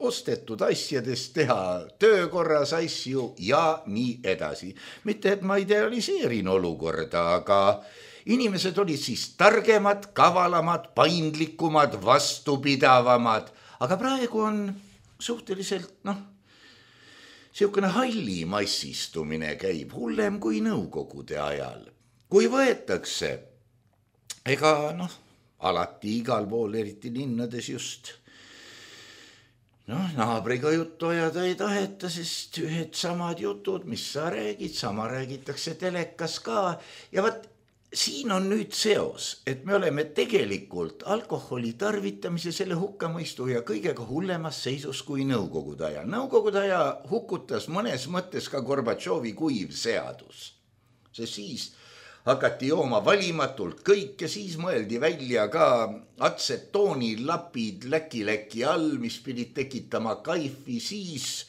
ostetud asjadest teha töökorras asju ja nii edasi. Mitte, et ma idealiseerin olukorda, aga inimesed olid siis targemad, kavalamad, paindlikumad, vastupidavamad, aga praegu on suhteliselt, siukene halli massistumine käib hullem kui nõukogude ajal. Kui võetakse, ega alati igal pool, eriti linnades just, naabriga juttu ajada ei taheta, sest ühed samad jutud, mis sa räägid, sama räägitakse telekas ka. Ja vaat siin on nüüd seos, et me oleme tegelikult alkoholi tarvitamise, selle hukkamõistu ja kõigega hullemas seisus kui nõukogude aja. Nõukogude aja hukutas mõnes mõttes ka Gorbatšovi kuiv seadus. See siis hakati jooma valimatult kõik ja siis mõeldi välja ka atsetoonilapid läki all, mis pidid tekitama kaifi, siis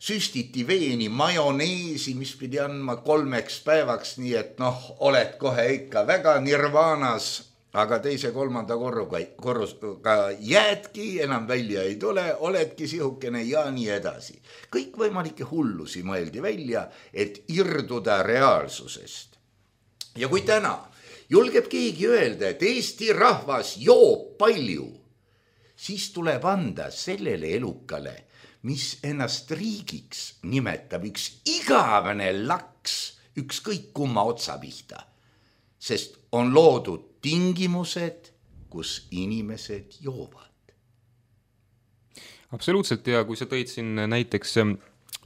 süstiti veeni majoneesi, mis pidi andma 3 päevaks, nii et oled kohe ikka väga nirvaanas, aga 2.-3. korruga jäädki, enam välja ei tule, oledki sihukene ja nii edasi. Kõik võimalikke hullusi mõeldi välja, et irduda reaalsusest. Ja kui täna julgeb keegi öelda, et Eesti rahvas joob palju, siis tuleb anda sellele elukale, mis ennast riigiks nimetab, üks igavene laks, ükskõik kumma otsa pihta, sest on loodud tingimused, kus inimesed joovad. Absoluutselt, ja kui sa tõid siin näiteks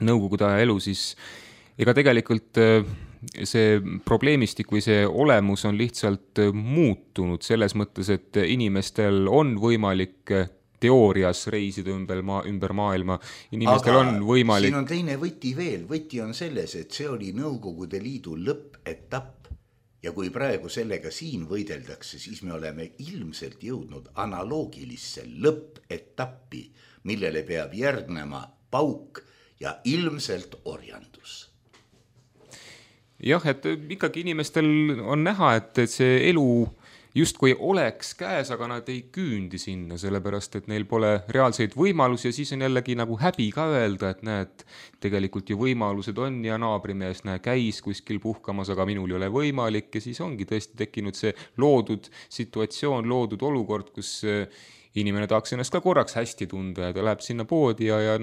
nõukogude aja elu, siis ega tegelikult see probleemistik või see olemus on lihtsalt muutunud selles mõttes, et inimestel on võimalik teoorias reisida ümber maailma. Inimestel on võimalik... Siin on teine võti veel. Võti on selles, et see oli Nõukogude Liidu lõppetapp. Ja kui praegu sellega siin võideldakse, siis me oleme ilmselt jõudnud analoogilisse lõppetappi, millele peab järgnema pauk ja ilmselt orjandus. Jah, et ikkagi inimestel on näha, et see elu justkui oleks käes, aga nad ei küündi sinna, sellepärast, et neil pole reaalseid võimalusi ja siis on jällegi nagu häbi ka öelda, et näed, tegelikult ju võimalused on ja naabrimees käis kuskil puhkamas, aga minul ei ole võimalik ja siis ongi tõesti tekkinud see loodud situatsioon, loodud olukord, kus inimene tahaks ennast ka korraks hästi tunda ja ta läheb sinna poodi ja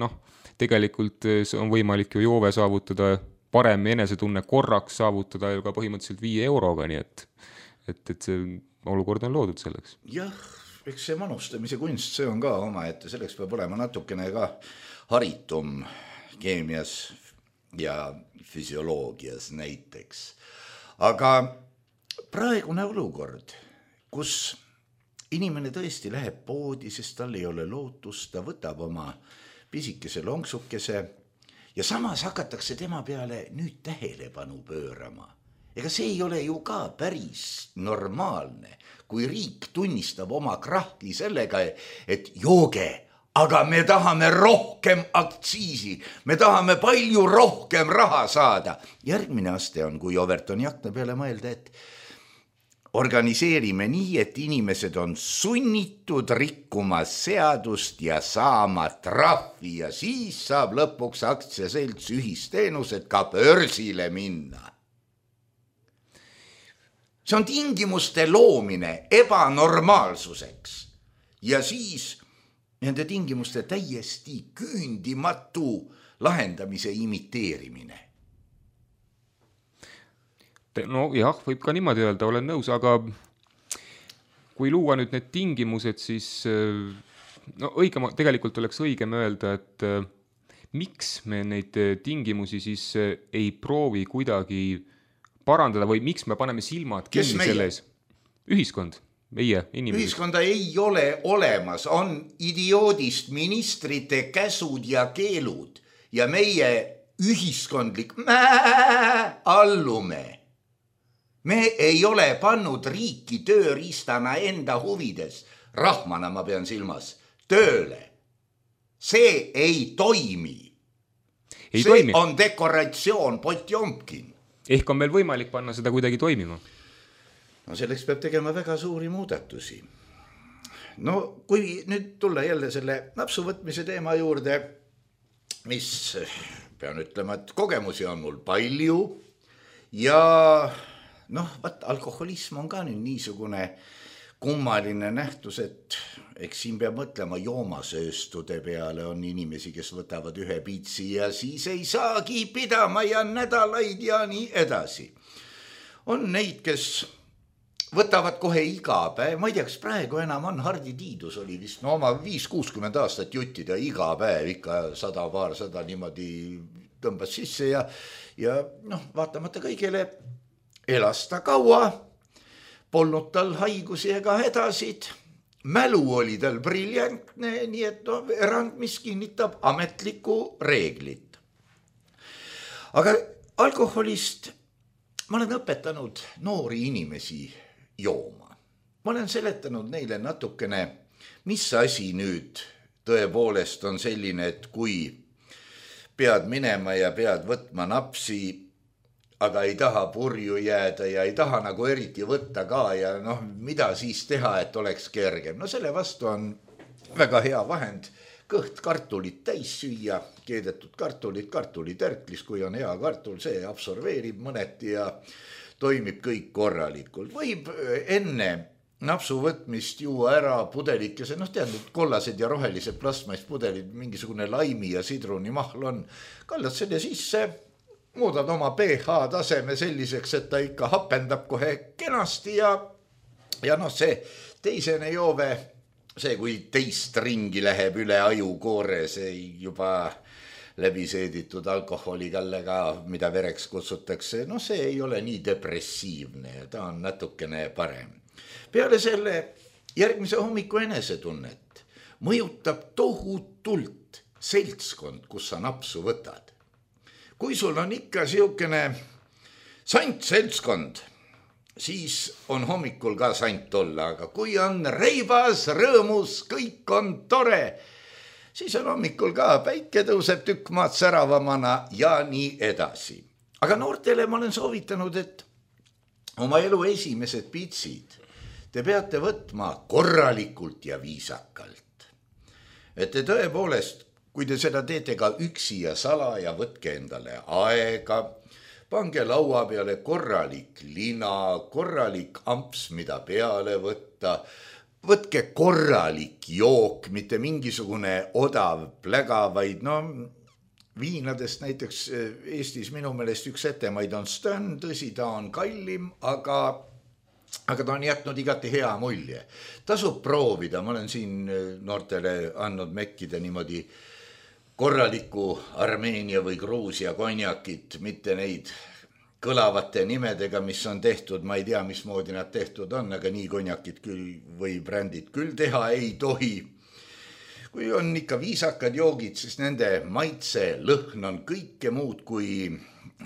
tegelikult on võimalik ju joove saavutada parem enesetunne korraks saavutada ju ka põhimõtteliselt 5 euroga, nii et see olukord on loodud selleks. Jah, eks see manustamise kunst, see on ka oma, et selleks peab olema natukene ka haritum keemias ja füsioloogias näiteks. Aga praegune olukord, kus inimene tõesti läheb poodi, sest tal ei ole lootust, ta võtab oma pisikese lonksukese ja samas hakatakse tema peale nüüd tähelepanu pöörama. Ega see ei ole ju ka päris normaalne, kui riik tunnistab oma krahki sellega, et jooge, aga me tahame rohkem aktsiisi, me tahame palju rohkem raha saada. Järgmine aste on, kui Overtoni akna peale mõelda, et organiseerime nii, et inimesed on sunnitud rikkuma seadust ja saama trahvi ja siis saab lõpuks aktsiaselts ühisteenused ka börsile minna. See on tingimuste loomine ebanormaalsuseks ja siis nende tingimuste täiesti küündimatu lahendamise imiteerimine. No jah, võib ka niimoodi öelda, olen nõus, aga kui luua nüüd need tingimused, siis tegelikult oleks õigem öelda, et miks me neid tingimusi siis ei proovi kuidagi parandada või miks me paneme silmad kinni selles? Ühiskond, meie inimesed. Ühiskonda ei ole olemas, on idioodist ministrite käsud ja keelud ja meie ühiskondlik allume. Me ei ole pannud riiki tööriistana enda huvides, rahvana ma pean silmas, tööle. See ei toimi. See on dekoratsioon, Potjomkin. Ehk on meil võimalik panna seda kuidagi toimima? No selleks peab tegema väga suuri muudatusi. no kui nüüd tulla jälle selle napsuvõtmise teema juurde, mis pean ütlema, et kogemusi on mul palju ja noh, alkoholism on ka nüüd niisugune kummaline nähtus, et eks siin peab mõtlema joomasööstude peale, on inimesi, kes võtavad ühe pitsi ja siis ei saagi pidama ja nädalaid ja nii edasi. On neid, kes võtavad kohe iga päev, ma ei tea, kas praegu enam on, Hardi Tiidus oli vist oma 5-60 aastat juttida iga päev, ikka 100-200 niimoodi tõmbas sisse ja noh, vaatamata kõigele elas ta kaua, polnud tal haigusi ega hädasid, mälu oli tal briljantne, nii et erand, mis kinnitab ametlikku reeglit. Aga alkoholist ma olen õpetanud noori inimesi jooma. Ma olen seletanud neile natukene, mis asi nüüd tõepoolest on selline, et kui pead minema ja pead võtma napsi, aga ei taha purju jääda ja ei taha nagu eriti võtta ka ja noh, mida siis teha, et oleks kergem. No selle vastu on väga hea vahend kõht kartulit täis süüa, keedetud kartulitärklis, kui on hea kartul, see absorbeerib mõneti ja toimib kõik korralikult. Võib enne napsu võtmist juua ära pudelikese, noh tead, kollased ja rohelised plastmasspudelid, mingisugune laimi ja sidruni mahl on, kallad selle sisse, muudad oma pH taseme selliseks, et ta ikka hapendab kohe kenasti ja noh, see teisene joove, see kui teist ringi läheb üle ajukoore, see juba läbiseeditud alkoholikallega, mida vereks kutsutakse, no see ei ole nii depressiivne, ta on natukene parem. Peale selle järgmise hommiku enesetunnet mõjutab tohutult seltskond, kus sa napsu võtad. Kui sul on ikka siukene sant seltskond, siis on hommikul ka sant olla, aga kui on reibas, rõõmus, kõik on tore, siis on hommikul ka päike tõuseb tükk maad säravamana ja nii edasi. Aga noortele ma olen soovitanud, et oma elu esimesed pitsid te peate võtma korralikult ja viisakalt. Et te tõepoolest, kui te seda teete ka üksi ja salaja, võtke endale aega, pange laua peale korralik lina, korralik amps, mida peale võtta, võtke korralik jook, mitte mingisugune odav pläga, vaid no viinadest näiteks Eestis minu meelest üks etemaid on Stön, tõsi, ta on kallim, aga ta on jätnud igati hea mulje. Tasub proovida, ma olen siin noortele andnud mekkida niimoodi korraliku Armeenia või Gruusia konjakit, mitte neid kõlavate nimedega, mis on tehtud, ma ei tea, mismoodi nad tehtud on, aga nii konjakid küll või brändid küll teha ei tohi. Kui on ikka viisakad joogid, siis nende maitse lõhn on kõike muud kui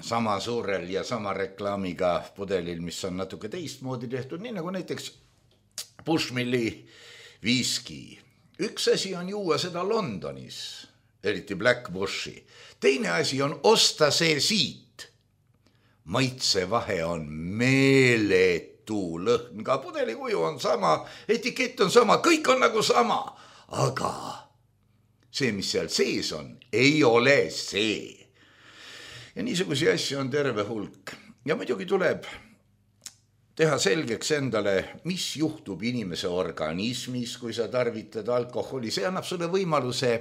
sama suurel ja sama reklaamiga pudelil, mis on natuke teistmoodi tehtud, nii nagu näiteks Bushmilli viski. Üks asi on juua seda Londonis, eriti Black Bushi. Teine asi on osta see siit. Maitsevahe on meeletu, lõhn ka pudelikuju on sama, etikett on sama, kõik on nagu sama, aga see, mis seal sees on, ei ole see. Ja niisugusi asju on terve hulk. Ja muidugi tuleb teha selgeks endale, mis juhtub inimese organismis, kui sa tarvitad alkoholi. See annab sulle võimaluse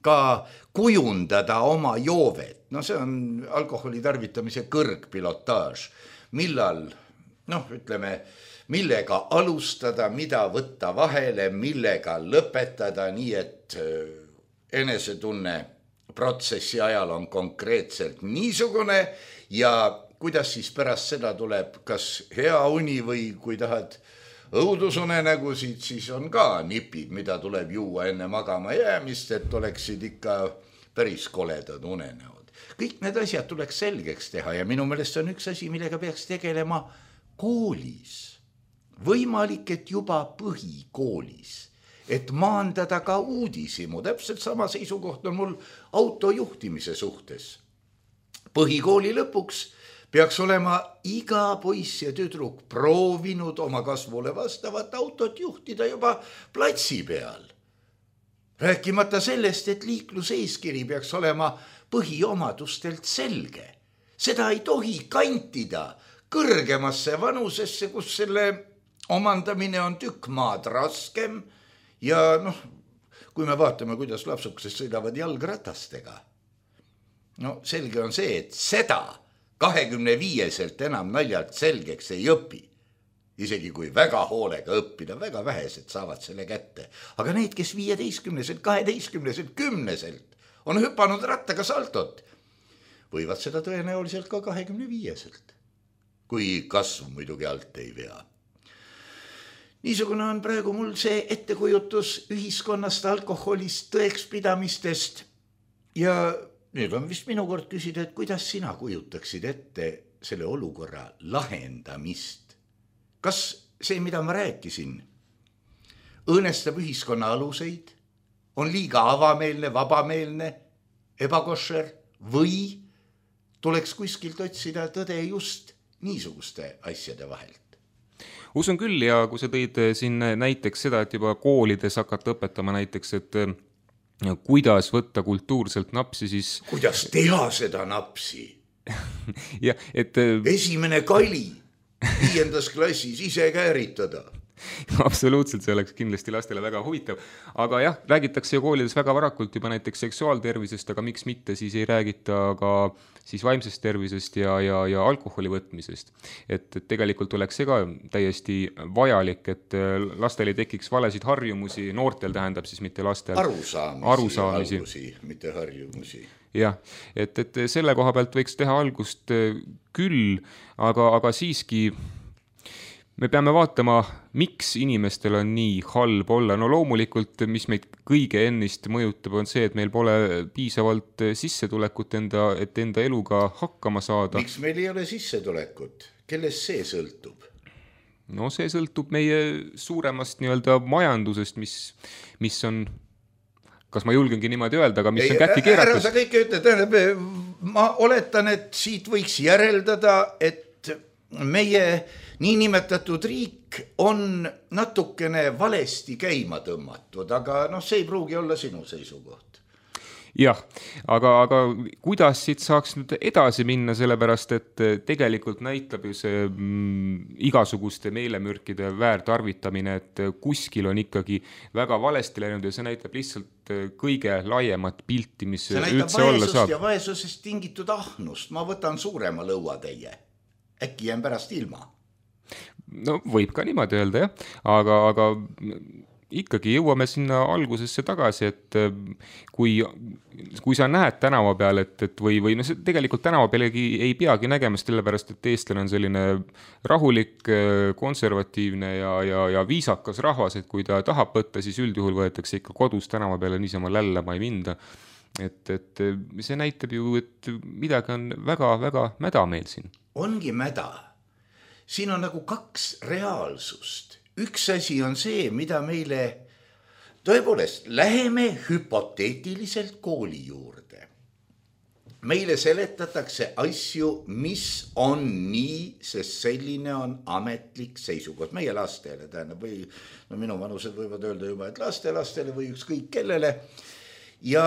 ka kujundada oma joovet. No see on alkoholi tarvitamise kõrgpilotaaž. Millal, ütleme, millega alustada, mida võtta vahele, millega lõpetada, nii et enesetunne protsessi ajal on konkreetselt niisugune ja kuidas siis pärast seda tuleb kas hea uni või kui tahad õudusunenägusid, siis on ka nipid, mida tuleb juua enne magama jäämist, et oleksid ikka päris koledad unenäod. Kõik need asjad tuleks selgeks teha ja minu meelest on üks asi, millega peaks tegelema koolis. Võimalik, et juba põhikoolis, et maandada ka uudishimu. Täpselt sama seisukoht on mul autojuhtimise suhtes. Põhikooli lõpuks peaks olema iga poiss ja tüdruk proovinud oma kasvule vastavat autot juhtida juba platsi peal. Rääkimata sellest, et liikluseeskiri peaks olema põhiomadustelt selge. Seda ei tohi kantida kõrgemasse vanusesse, kus selle omandamine on tükk maad raskem ja kui me vaatame, kuidas lapsukesed sõidavad jalgratastega. Selge on see, et seda 25-selt enam naljalt selgeks ei õpi. Isegi kui väga hoolega õppida, väga vähesed saavad selle kätte. Aga need, kes 15-selt, 12-selt, 10-selt on hüpanud rattaga saltot, võivad seda tõenäoliselt ka 25-selt, kui kasv muidugi alt ei vea. Niisugune on praegu mul see ettekujutus ühiskonnast, alkoholist, tõekspidamistest ja nüüd on vist minu kord küsida, et kuidas sina kujutaksid ette selle olukorra lahendamist? Kas see, mida ma rääkisin, õõnestab ühiskonna aluseid, on liiga avameelne, vabameelne, ebakošer või tuleks kuskilt otsida tõde just niisuguste asjade vahelt? Usun küll ja kui sa tõid siin näiteks seda, et juba koolides hakata õpetama näiteks, et kuidas võtta kultuurselt napsi, siis... Kuidas teha seda napsi? Ja, et... Esimene kali 5. klassis ise kääritada. Absoluutselt, see oleks kindlasti lastele väga huvitav. Aga jah, räägitakse ju koolides väga varakult juba näiteks seksuaaltervisest, aga miks mitte siis ei räägita ka siis vaimsest tervisest ja alkoholi võtmisest. Et tegelikult oleks see ka täiesti vajalik, et lastel ei tekiks valesid harjumusi, noortel tähendab siis mitte lastel. Arusaamisi, mitte harjumusi. Jah, et selle koha pealt võiks teha algust küll, aga siiski me peame vaatama, miks inimestel on nii halb olla. No loomulikult, mis meid kõige ennist mõjutab, on see, et meil pole piisavalt sissetulekut et enda eluga hakkama saada. Miks meil ei ole sissetulekut? Kellest see sõltub? No see sõltub meie suuremast nii-öelda majandusest, mis on, kas ma julgengi niimoodi öelda, aga mis on kätti keeratud. Ära sa kõike ütled, ma oletan, et siit võiks järeldada, et meie niinimetatud riik on natukene valesti käima tõmmatud, aga see ei pruugi olla sinu seisukoht. Jah, aga kuidas siit saaks nüüd edasi minna, sellepärast, et tegelikult näitab ju see igasuguste meelemürkide väärtarvitamine, et kuskil on ikkagi väga valesti läinud ja see näitab lihtsalt kõige laiemat pilti, mis üldse olla saab. Ja vaesusest tingitud ahnust, ma võtan suurema lõuatäie. Äkki jään pärast ilma. No võib ka niimoodi öelda, jah. Aga ikkagi jõuame sinna algusesse tagasi, et kui sa näed tänava peal, või no see tegelikult tänava pealegi ei peagi nägema, sellepärast, et eestlane on selline rahulik, konservatiivne ja viisakas rahvas, et kui ta tahab võtta, siis üldjuhul võetakse ikka kodus tänava peale niisama lällama ei minda. Et see näitab ju, et midagi on väga-väga mäda meil siin. Ongi mäda. Siin on nagu kaks reaalsust. Üks asi on see, mida meile tõepoolest läheme hüpoteetiliselt kooli juurde. Meile seletatakse asju, mis on nii, sest selline on ametlik seisukoht meie lastele. Või, minu vanused võivad öelda juba, et lastele või ükskõik kellele. Ja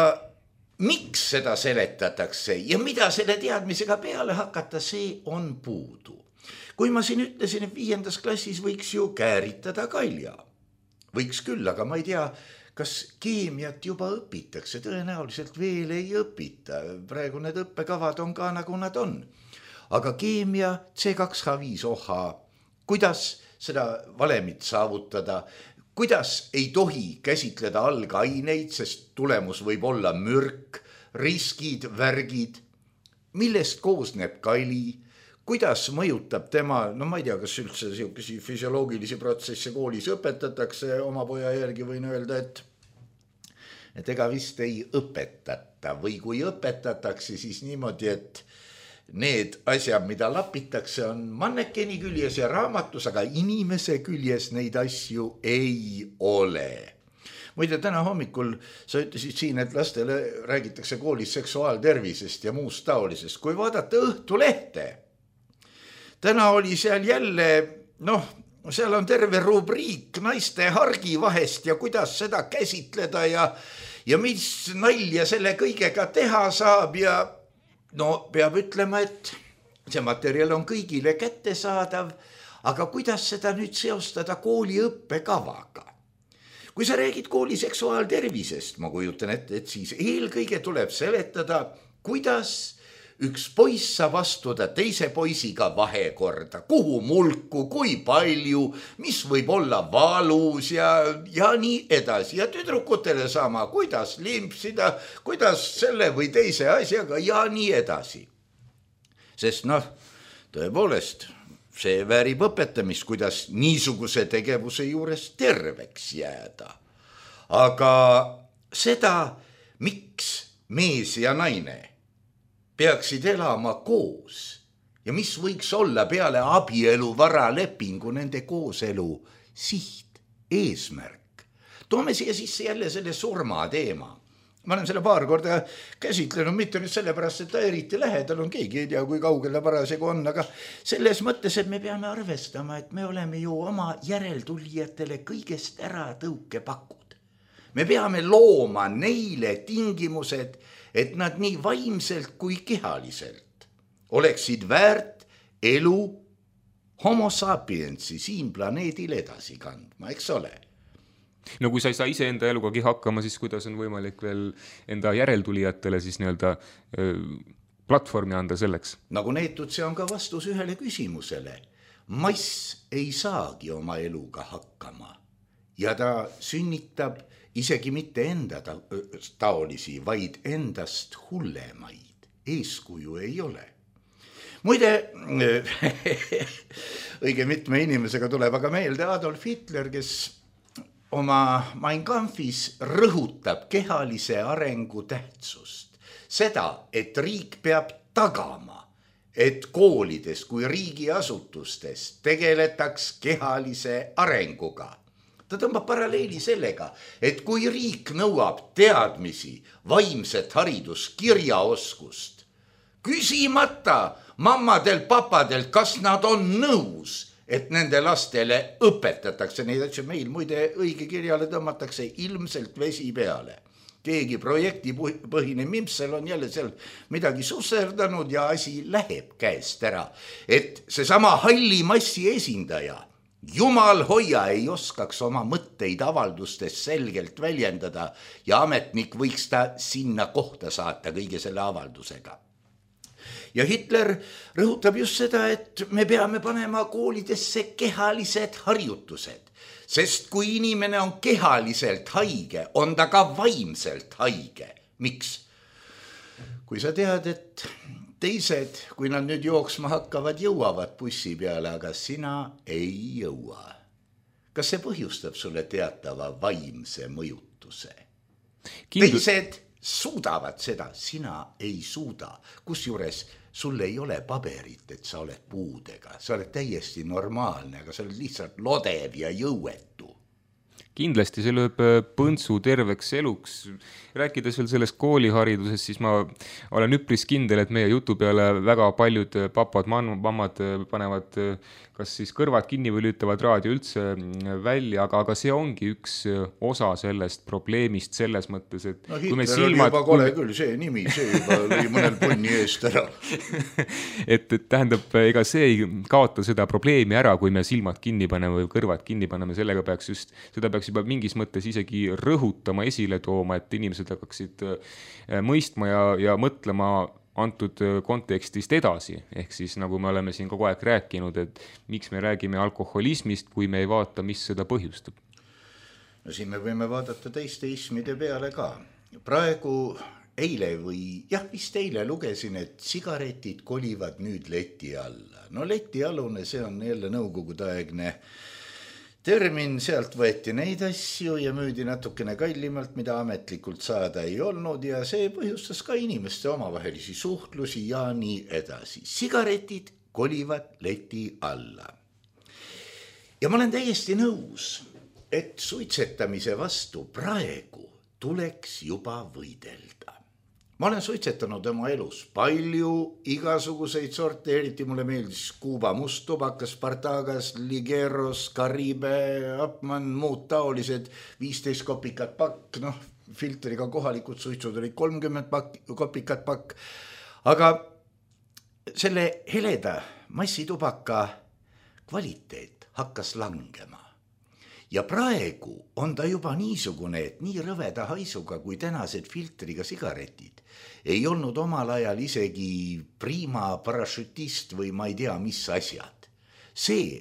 miks seda seletatakse ja mida selle teadmisega peale hakata, see on puudu. Kui ma siin ütlesin, et 5. klassis võiks ju kääritada kalja. Võiks küll, aga ma ei tea, kas keemiat juba õpitakse. Tõenäoliselt veel ei õpita. Praegu need õppekavad on ka nagu nad on. Aga keemia, C2H5OH, kuidas seda valemit saavutada, kuidas ei tohi käsitleda algaineid, sest tulemus võib olla mürk, riskid, värgid, millest koosneb kali, kuidas mõjutab tema, ma ei tea, kas üldse selline füsioloogilisi protsesse koolis õpetatakse, oma poja järgi võin öelda, et ega vist ei õpetata või kui õpetatakse, siis niimoodi, et need asjad, mida lapitakse, on mannekeni küljes ja raamatus, aga inimese küljes neid asju ei ole. Muide, täna hommikul sa ütlesid siin, et lastele räägitakse koolis seksuaaltervisest ja muust taolisest. Kui vaadata Õhtulehte, täna oli seal jälle, seal on terve rubriik naiste hargi vahest ja kuidas seda käsitleda ja mis nalja selle kõigega teha saab ja peab ütlema, et see materjal on kõigile kättesaadav, aga kuidas seda nüüd seostada kooli õppekavaga? Kui sa räägid kooli seksuaaltervisest, ma kujutan ette, et siis eelkõige tuleb seletada, kuidas üks poiss saab astuda teise poisiga vahekorda, kuhu mulku, kui palju, mis võib olla valus ja nii edasi. Ja tüdrukutele sama, kuidas limpsida, kuidas selle või teise asjaga ja nii edasi. Sest tõepoolest, see väärib õpetamist, kuidas niisuguse tegevuse juures terveks jääda. Aga seda, miks mees ja naine peaksid elama koos ja mis võiks olla peale abielu varalepingu nende kooselu siht, eesmärk. Toome siia sisse jälle selle surma teema. Ma olen selle paar korda käsitlenud, mitte nüüd sellepärast, et ta eriti lähedal on, keegi ei tea, kui kaugele parasjagu on, aga selles mõttes, et me peame arvestama, et me oleme ju oma järeltulijatele kõigest ära tõukepakud. Me peame looma neile tingimused, et nad nii vaimselt kui kehaliselt oleksid väärt elu homo sapiensi siin planeedil edasi kandma, eks ole? No kui sa ei saa ise enda elugagi hakkama, siis kuidas on võimalik veel enda järeltulijatele siis nii-öelda platvormi anda selleks? Nagu neetud, see on ka vastus ühele küsimusele. Mass ei saagi oma eluga hakkama ja ta sünnitab isegi mitte enda taolisi, vaid endast hullemaid. Eeskuju ei ole. Muide, õige mitme inimesega tuleb aga meelde Adolf Hitler, kes oma Mein Kampfis rõhutab kehalise arengu tähtsust. Seda, et riik peab tagama, et koolides kui riigiasutustes tegeletaks kehalise arenguga. Ta tõmbab paralleeli sellega, et kui riik nõuab teadmisi, vaimset haridus, kirjaoskust, küsimata mammadelt, papadelt, kas nad on nõus, et nende lastele õpetatakse neid asju. Meil muide õige kirjale tõmmatakse ilmselt vesi peale. Keegi projektipõhine mimsel on jälle seal midagi susserdanud ja asi läheb käest ära. Et seesama halli massi esindaja, jumal hoia, ei oskaks oma mõtteid avaldustes selgelt väljendada ja ametnik võiks ta sinna kohta saata kõige selle avaldusega. Ja Hitler rõhutab just seda, et me peame panema koolidesse kehalised harjutused, sest kui inimene on kehaliselt haige, on ta ka vaimselt haige. Miks? Kui sa tead, et teised, kui nad nüüd jooksma hakkavad, jõuavad bussi peale, aga sina ei jõua. Kas see põhjustab sulle teatava vaimse mõjutuse? Teised suudavad seda, sina ei suuda. Kusjuures sul ei ole paberit, et sa oled puudega. Sa oled täiesti normaalne, aga sa oled lihtsalt lodev ja jõuetu. Kindlasti see lööb põntsu terveks eluks. Rääkides veel sellest kooliharidusest, siis ma olen üpris kindel, et meie jutu peale väga paljud papad, mammad panevad kas siis kõrvad kinni või lüütavad raadio üldse välja, aga see ongi üks osa sellest probleemist selles mõttes, et kui me silmad... juba kole küll, see nimi, see juba lõi mõnel punni eest ära. et tähendab, ega see ei kaota seda probleemi ära, kui me silmad kinni paneme või kõrvad kinni paneme, sellega peaks just, seda peaks juba mingis mõttes isegi rõhutama, esile tooma, et inimesed hakkaksid mõistma ja mõtlema antud kontekstist edasi, ehk siis nagu me oleme siin kogu aeg rääkinud, et miks me räägime alkoholismist, kui me ei vaata, mis seda põhjustab. No siin me võime vaadata teiste ismide peale ka. Praegu eile vist eile lugesin, et sigaretid kolivad nüüd leti alla. No letialune, see on jälle nõukogudeaegne termin, sealt võeti neid asju ja müüdi natukene kallimalt, mida ametlikult saada ei olnud ja see põhjustas ka inimeste omavahelisi suhtlusi ja nii edasi. Sigaretid kolivad leti alla. Ja ma olen täiesti nõus, et suitsetamise vastu praegu tuleks juba võidelda. ma olen suitsetanud oma elus palju igasuguseid sorte, eriti mulle meeldis Kuuba musttubakas, Spartagas, Ligeros, Karibe, Upmann, muud taolised, 15 kopikat pakk, noh, filtriga kohalikud suitsud olid 30 kopikat pakk, aga selle heleda massitubaka kvaliteet hakkas langema. Ja praegu on ta juba niisugune, et nii rõveda haisuga kui tänased filtriga sigaretid ei olnud omal ajal isegi prima parašütist või ma ei tea, mis asjad. See,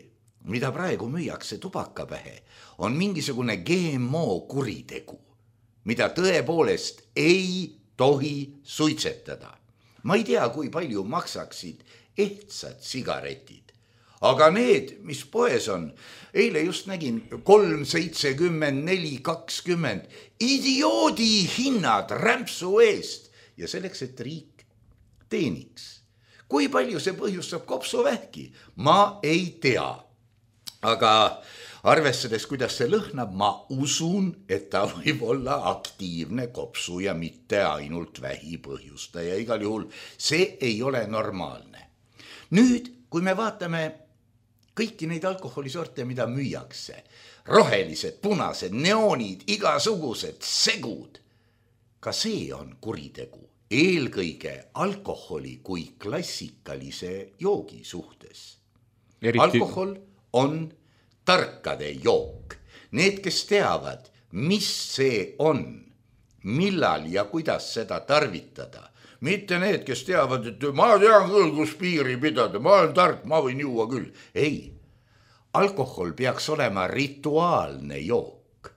mida praegu müüakse tubakapähe, on mingisugune GMO kuritegu, mida tõepoolest ei tohi suitsetada. Ma ei tea, kui palju maksaksid ehtsad sigaretid, aga need, mis poes on, eile just nägin 3,70, 4,20, idioodi hinnad rämpsu eest ja selleks, et riik teeniks. Kui palju see põhjustab kopsuvähki? Ma ei tea, aga arvestades, kuidas see lõhnab, ma usun, et ta võib olla aktiivne kopsu ja mitte ainult vähi põhjustaja. Igal juhul see ei ole normaalne. Nüüd, kui me vaatame kõiki neid alkoholisorte, mida müüakse, rohelised, punased, neoonid, igasugused, segud, ka see on kuritegu, eelkõige alkoholi kui klassikalise joogi suhtes. Alkohol on tarkade jook. Need, kes teavad, mis see on, millal ja kuidas seda tarvitada, mitte need, kes teavad, et ma tean küll, kus piiri pidada, ma olen tark, ma võin juua küll. Ei, alkohol peaks olema rituaalne jook,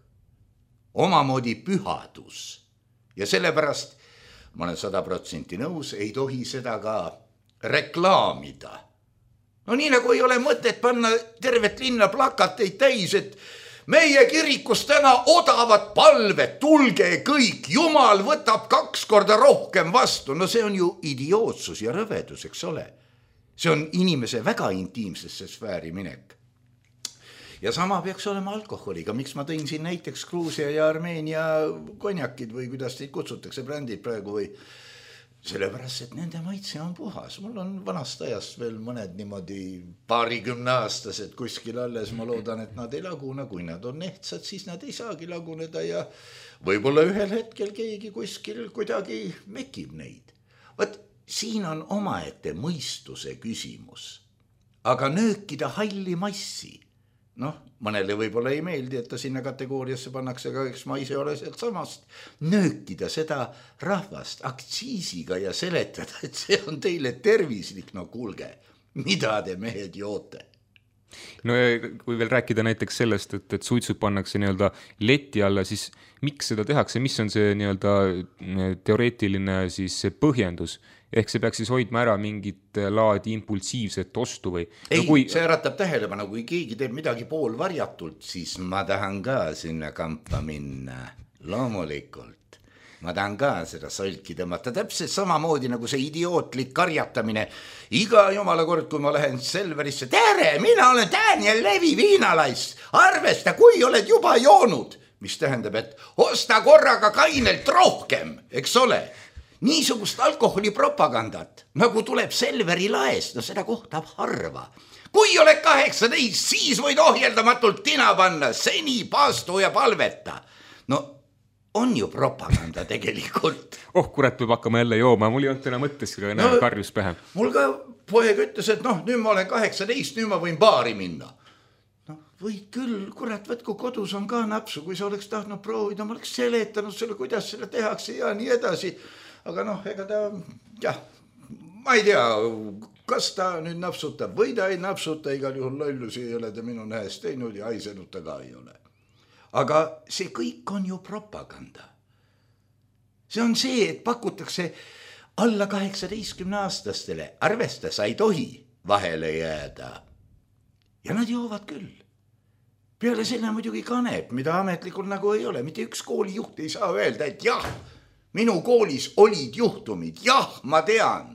omamoodi pühadus ja sellepärast ma olen 100% nõus, ei tohi seda ka reklaamida. No nii nagu ei ole mõtet panna tervet linna plakateid täis, et meie kirikus täna odavad palved, tulge kõik, Jumal võtab 2 korda rohkem vastu. No see on ju idiootsus ja rõvedus, eks ole. See on inimese väga intiimsesse sfääri minek. Ja sama peaks olema alkoholiga. Miks ma tõin siin näiteks Gruusia ja Armeenia konjakid või kuidas teid kutsutakse, brändid praegu või sellepärast, et nende maitse on puhas. Mul on vanast ajast veel mõned niimoodi 20 aastased kuskil alles. Ma loodan, et nad ei lagune. Kui nad on ehtsad, siis nad ei saagi laguneda ja võib-olla ühel hetkel keegi kuskil kuidagi mekib neid. Võt, siin on omaette mõistuse küsimus. Aga nöökida halli massi, noh, mõnele võib-olla ei meeldi, et ta sinna kategooriasse pannakse, aga eks ma ise ole sealt samast, nöökida seda rahvast aktsiisiga ja seletada, et see on teile tervislik. No kuulge, mida te mehed joote? No ja kui veel rääkida näiteks sellest, et suitsud pannakse nii-öelda leti alla, siis miks seda tehakse, mis on see nii-öelda teoreetiline siis põhjendus? Ehk see peaks siis hoidma ära mingit laadi impulsiivset ostu või? Ei, no kui see äratab tähelepanu, kui keegi teeb midagi poolvarjatult, siis ma tahan ka sinna kampa minna. Loomulikult. Ma tahan ka seda solki tõmmata. Täpselt samamoodi nagu see idiootlik karjatamine. Iga jumala kord, kui ma lähen Selverisse, tere, mina olen Daniel Levi viinalais. Arvesta, kui oled juba joonud. Mis tähendab, et osta korraga kainelt rohkem, eks ole? Niisugust alkoholipropagandat, nagu tuleb Selveri laest, no seda kohtab harva. Kui oled 18, siis võid ohjeldamatult tina panna, seni paastu ja palveta. No on ju propaganda tegelikult. Kurat, võib hakkama jälle jooma, mul ei olnud täna mõttes, aga näe, karjus pähe. Mul ka poeg ütles, et noh, nüüd ma olen 18, nüüd ma võin baari minna. No võid küll, kurat, võtku kodus on ka napsu, kui sa oleks tahtnud proovida, ma oleks seletanud selle, kuidas selle tehakse ja nii edasi. Aga noh, ega ta, jah, ma ei tea, kas ta nüüd napsutab või ta ei napsuta, igal juhul lollusi ei ole ta minu näest teinud ja haisenud ta ka ei ole. Aga see kõik on ju propaganda. See on see, et pakutakse alla 18-aastastele, arvesta, sa ei tohi vahele jääda. Ja nad joovad küll. Peale selle muidugi kanep, mida ametlikult nagu ei ole. Mitte üks koolijuht ei saa öelda, et jah, minu koolis olid juhtumid, jah, ma tean.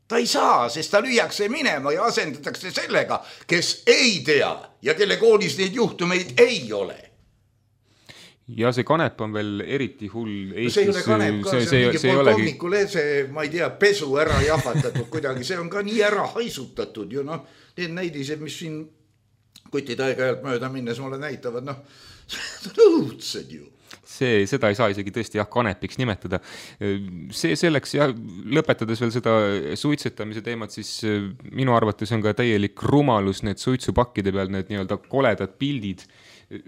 Ta ei saa, sest ta lüüakse minema ja asendatakse sellega, kes ei tea ja kelle koolis neid juhtumeid ei ole. ja see kanep on veel eriti hull Eestis. See ei ole kanep ka, see on mingi polkovniku lese, ma ei tea, pesu ära jahvatatud kuidagi, see on ka nii ära haisutatud ju, noh, need näidised, mis siin kutid aeg-ajalt mööda minnes mulle näitavad, noh, see on õudsed ju. Seda ei saa isegi tõesti kanepiks nimetada. See selleks ja lõpetades veel seda suitsetamise teemat, siis minu arvates on ka täielik rumalus need suitsupakkide peal, need nii-öelda koledad pildid.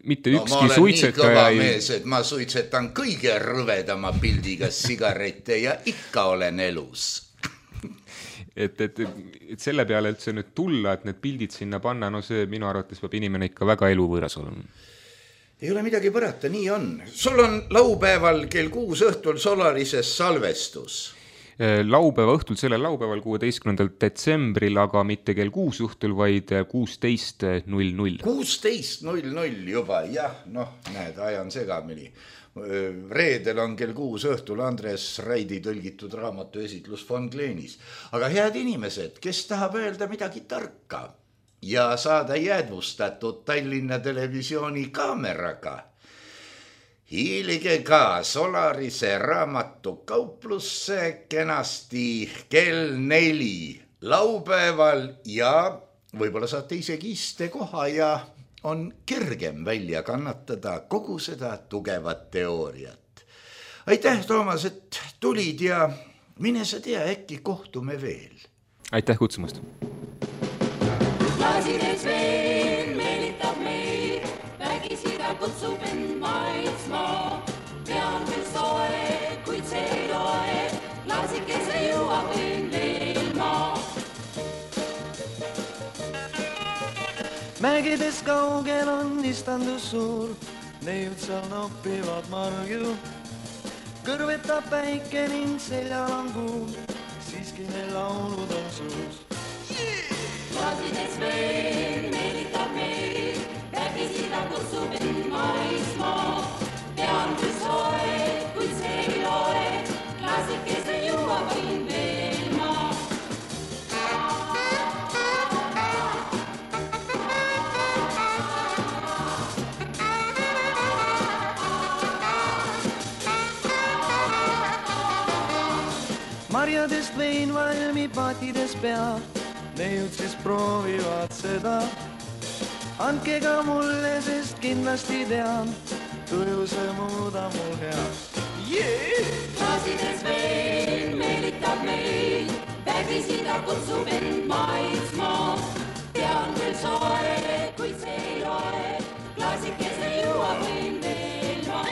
Mitte ükski suitsetaja ma olen nii kõva mees, et ma suitsetan kõige rõvedama pildiga sigarette ja ikka olen elus. Et selle peale üldse nüüd tulla, et need pildid sinna panna, no see minu arvates peab inimene ikka väga eluvõõras olema. Ei ole midagi põrata, nii on. Sul on laupäeval kell 6 õhtul Solarises salvestus. Laupäeva õhtul, sellel laupäeval 16. detsembril, aga mitte kell 6 õhtul, vaid 16.00. 16.00 juba, jah, noh, näed, ajan segamini. Reedel on kell 6 õhtul Andres Raidi tõlgitud raamatu esitlus Von Gleenis. Aga head inimesed, kes tahab öelda midagi tarka ja saada jäädvustatud Tallinna Televisiooni kaameraga, hiilige ka Solarise raamatukauplusse kenasti kell 4 laupäeval ja võib-olla saate isegi istekoha ja on kergem välja kannatada kogu seda tugevat teooriat. Aitäh, Toomas, et tulid ja mine sa tea, äkki kohtume veel. Aitäh kutsumast. Klaasides veel meelitab meid, vägisida kutsub end maitsmaa. Pean veel soe, kuid see ei loe, klaasikese juua võin veel maa. Mägides kaugel on istandus suur, neud seal noppivad marju. Kõrvetab päike ning seljal on kuul, siiski neil laulud on suus. Klaasides veel meelitab meid, vägisida kutsub end maitsmaa. Pean veel soe, kuid see ei loe, klaasikese juua võin veel maa. Marjadest vein valmi patides pea, neud siis proovivad seda. Andke ka mulle, sest kindlasti tean, tuju see muuda mul hea. Klaasides veel meelitab meid, vägisida kutsub end maitsmaa. Pean veel soe, kuid see ei loe, klaasikese juua võin veel maa.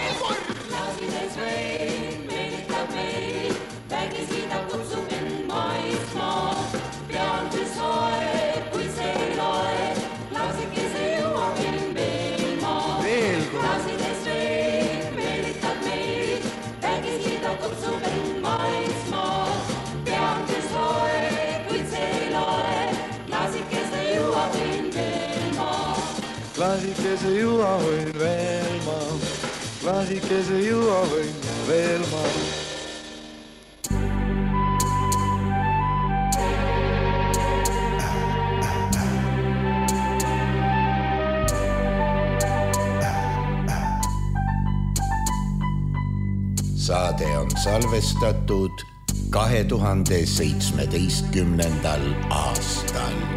Klaasides veel meelitab meid, vägisida kutsub end maitsmaa. Pean veel soe, kuid see ei loe, klaasikese juua võin veel maa. Klaasides veel meelitab meid, vägisida kutsub end maitsmaa. Pean veel soe, kuid see ei loe, klaasikese juua võin veel maa. Klaasikese juua võin veel maa, klaasikese juua võin veel maa. Saade on salvestatud 2017. aastal.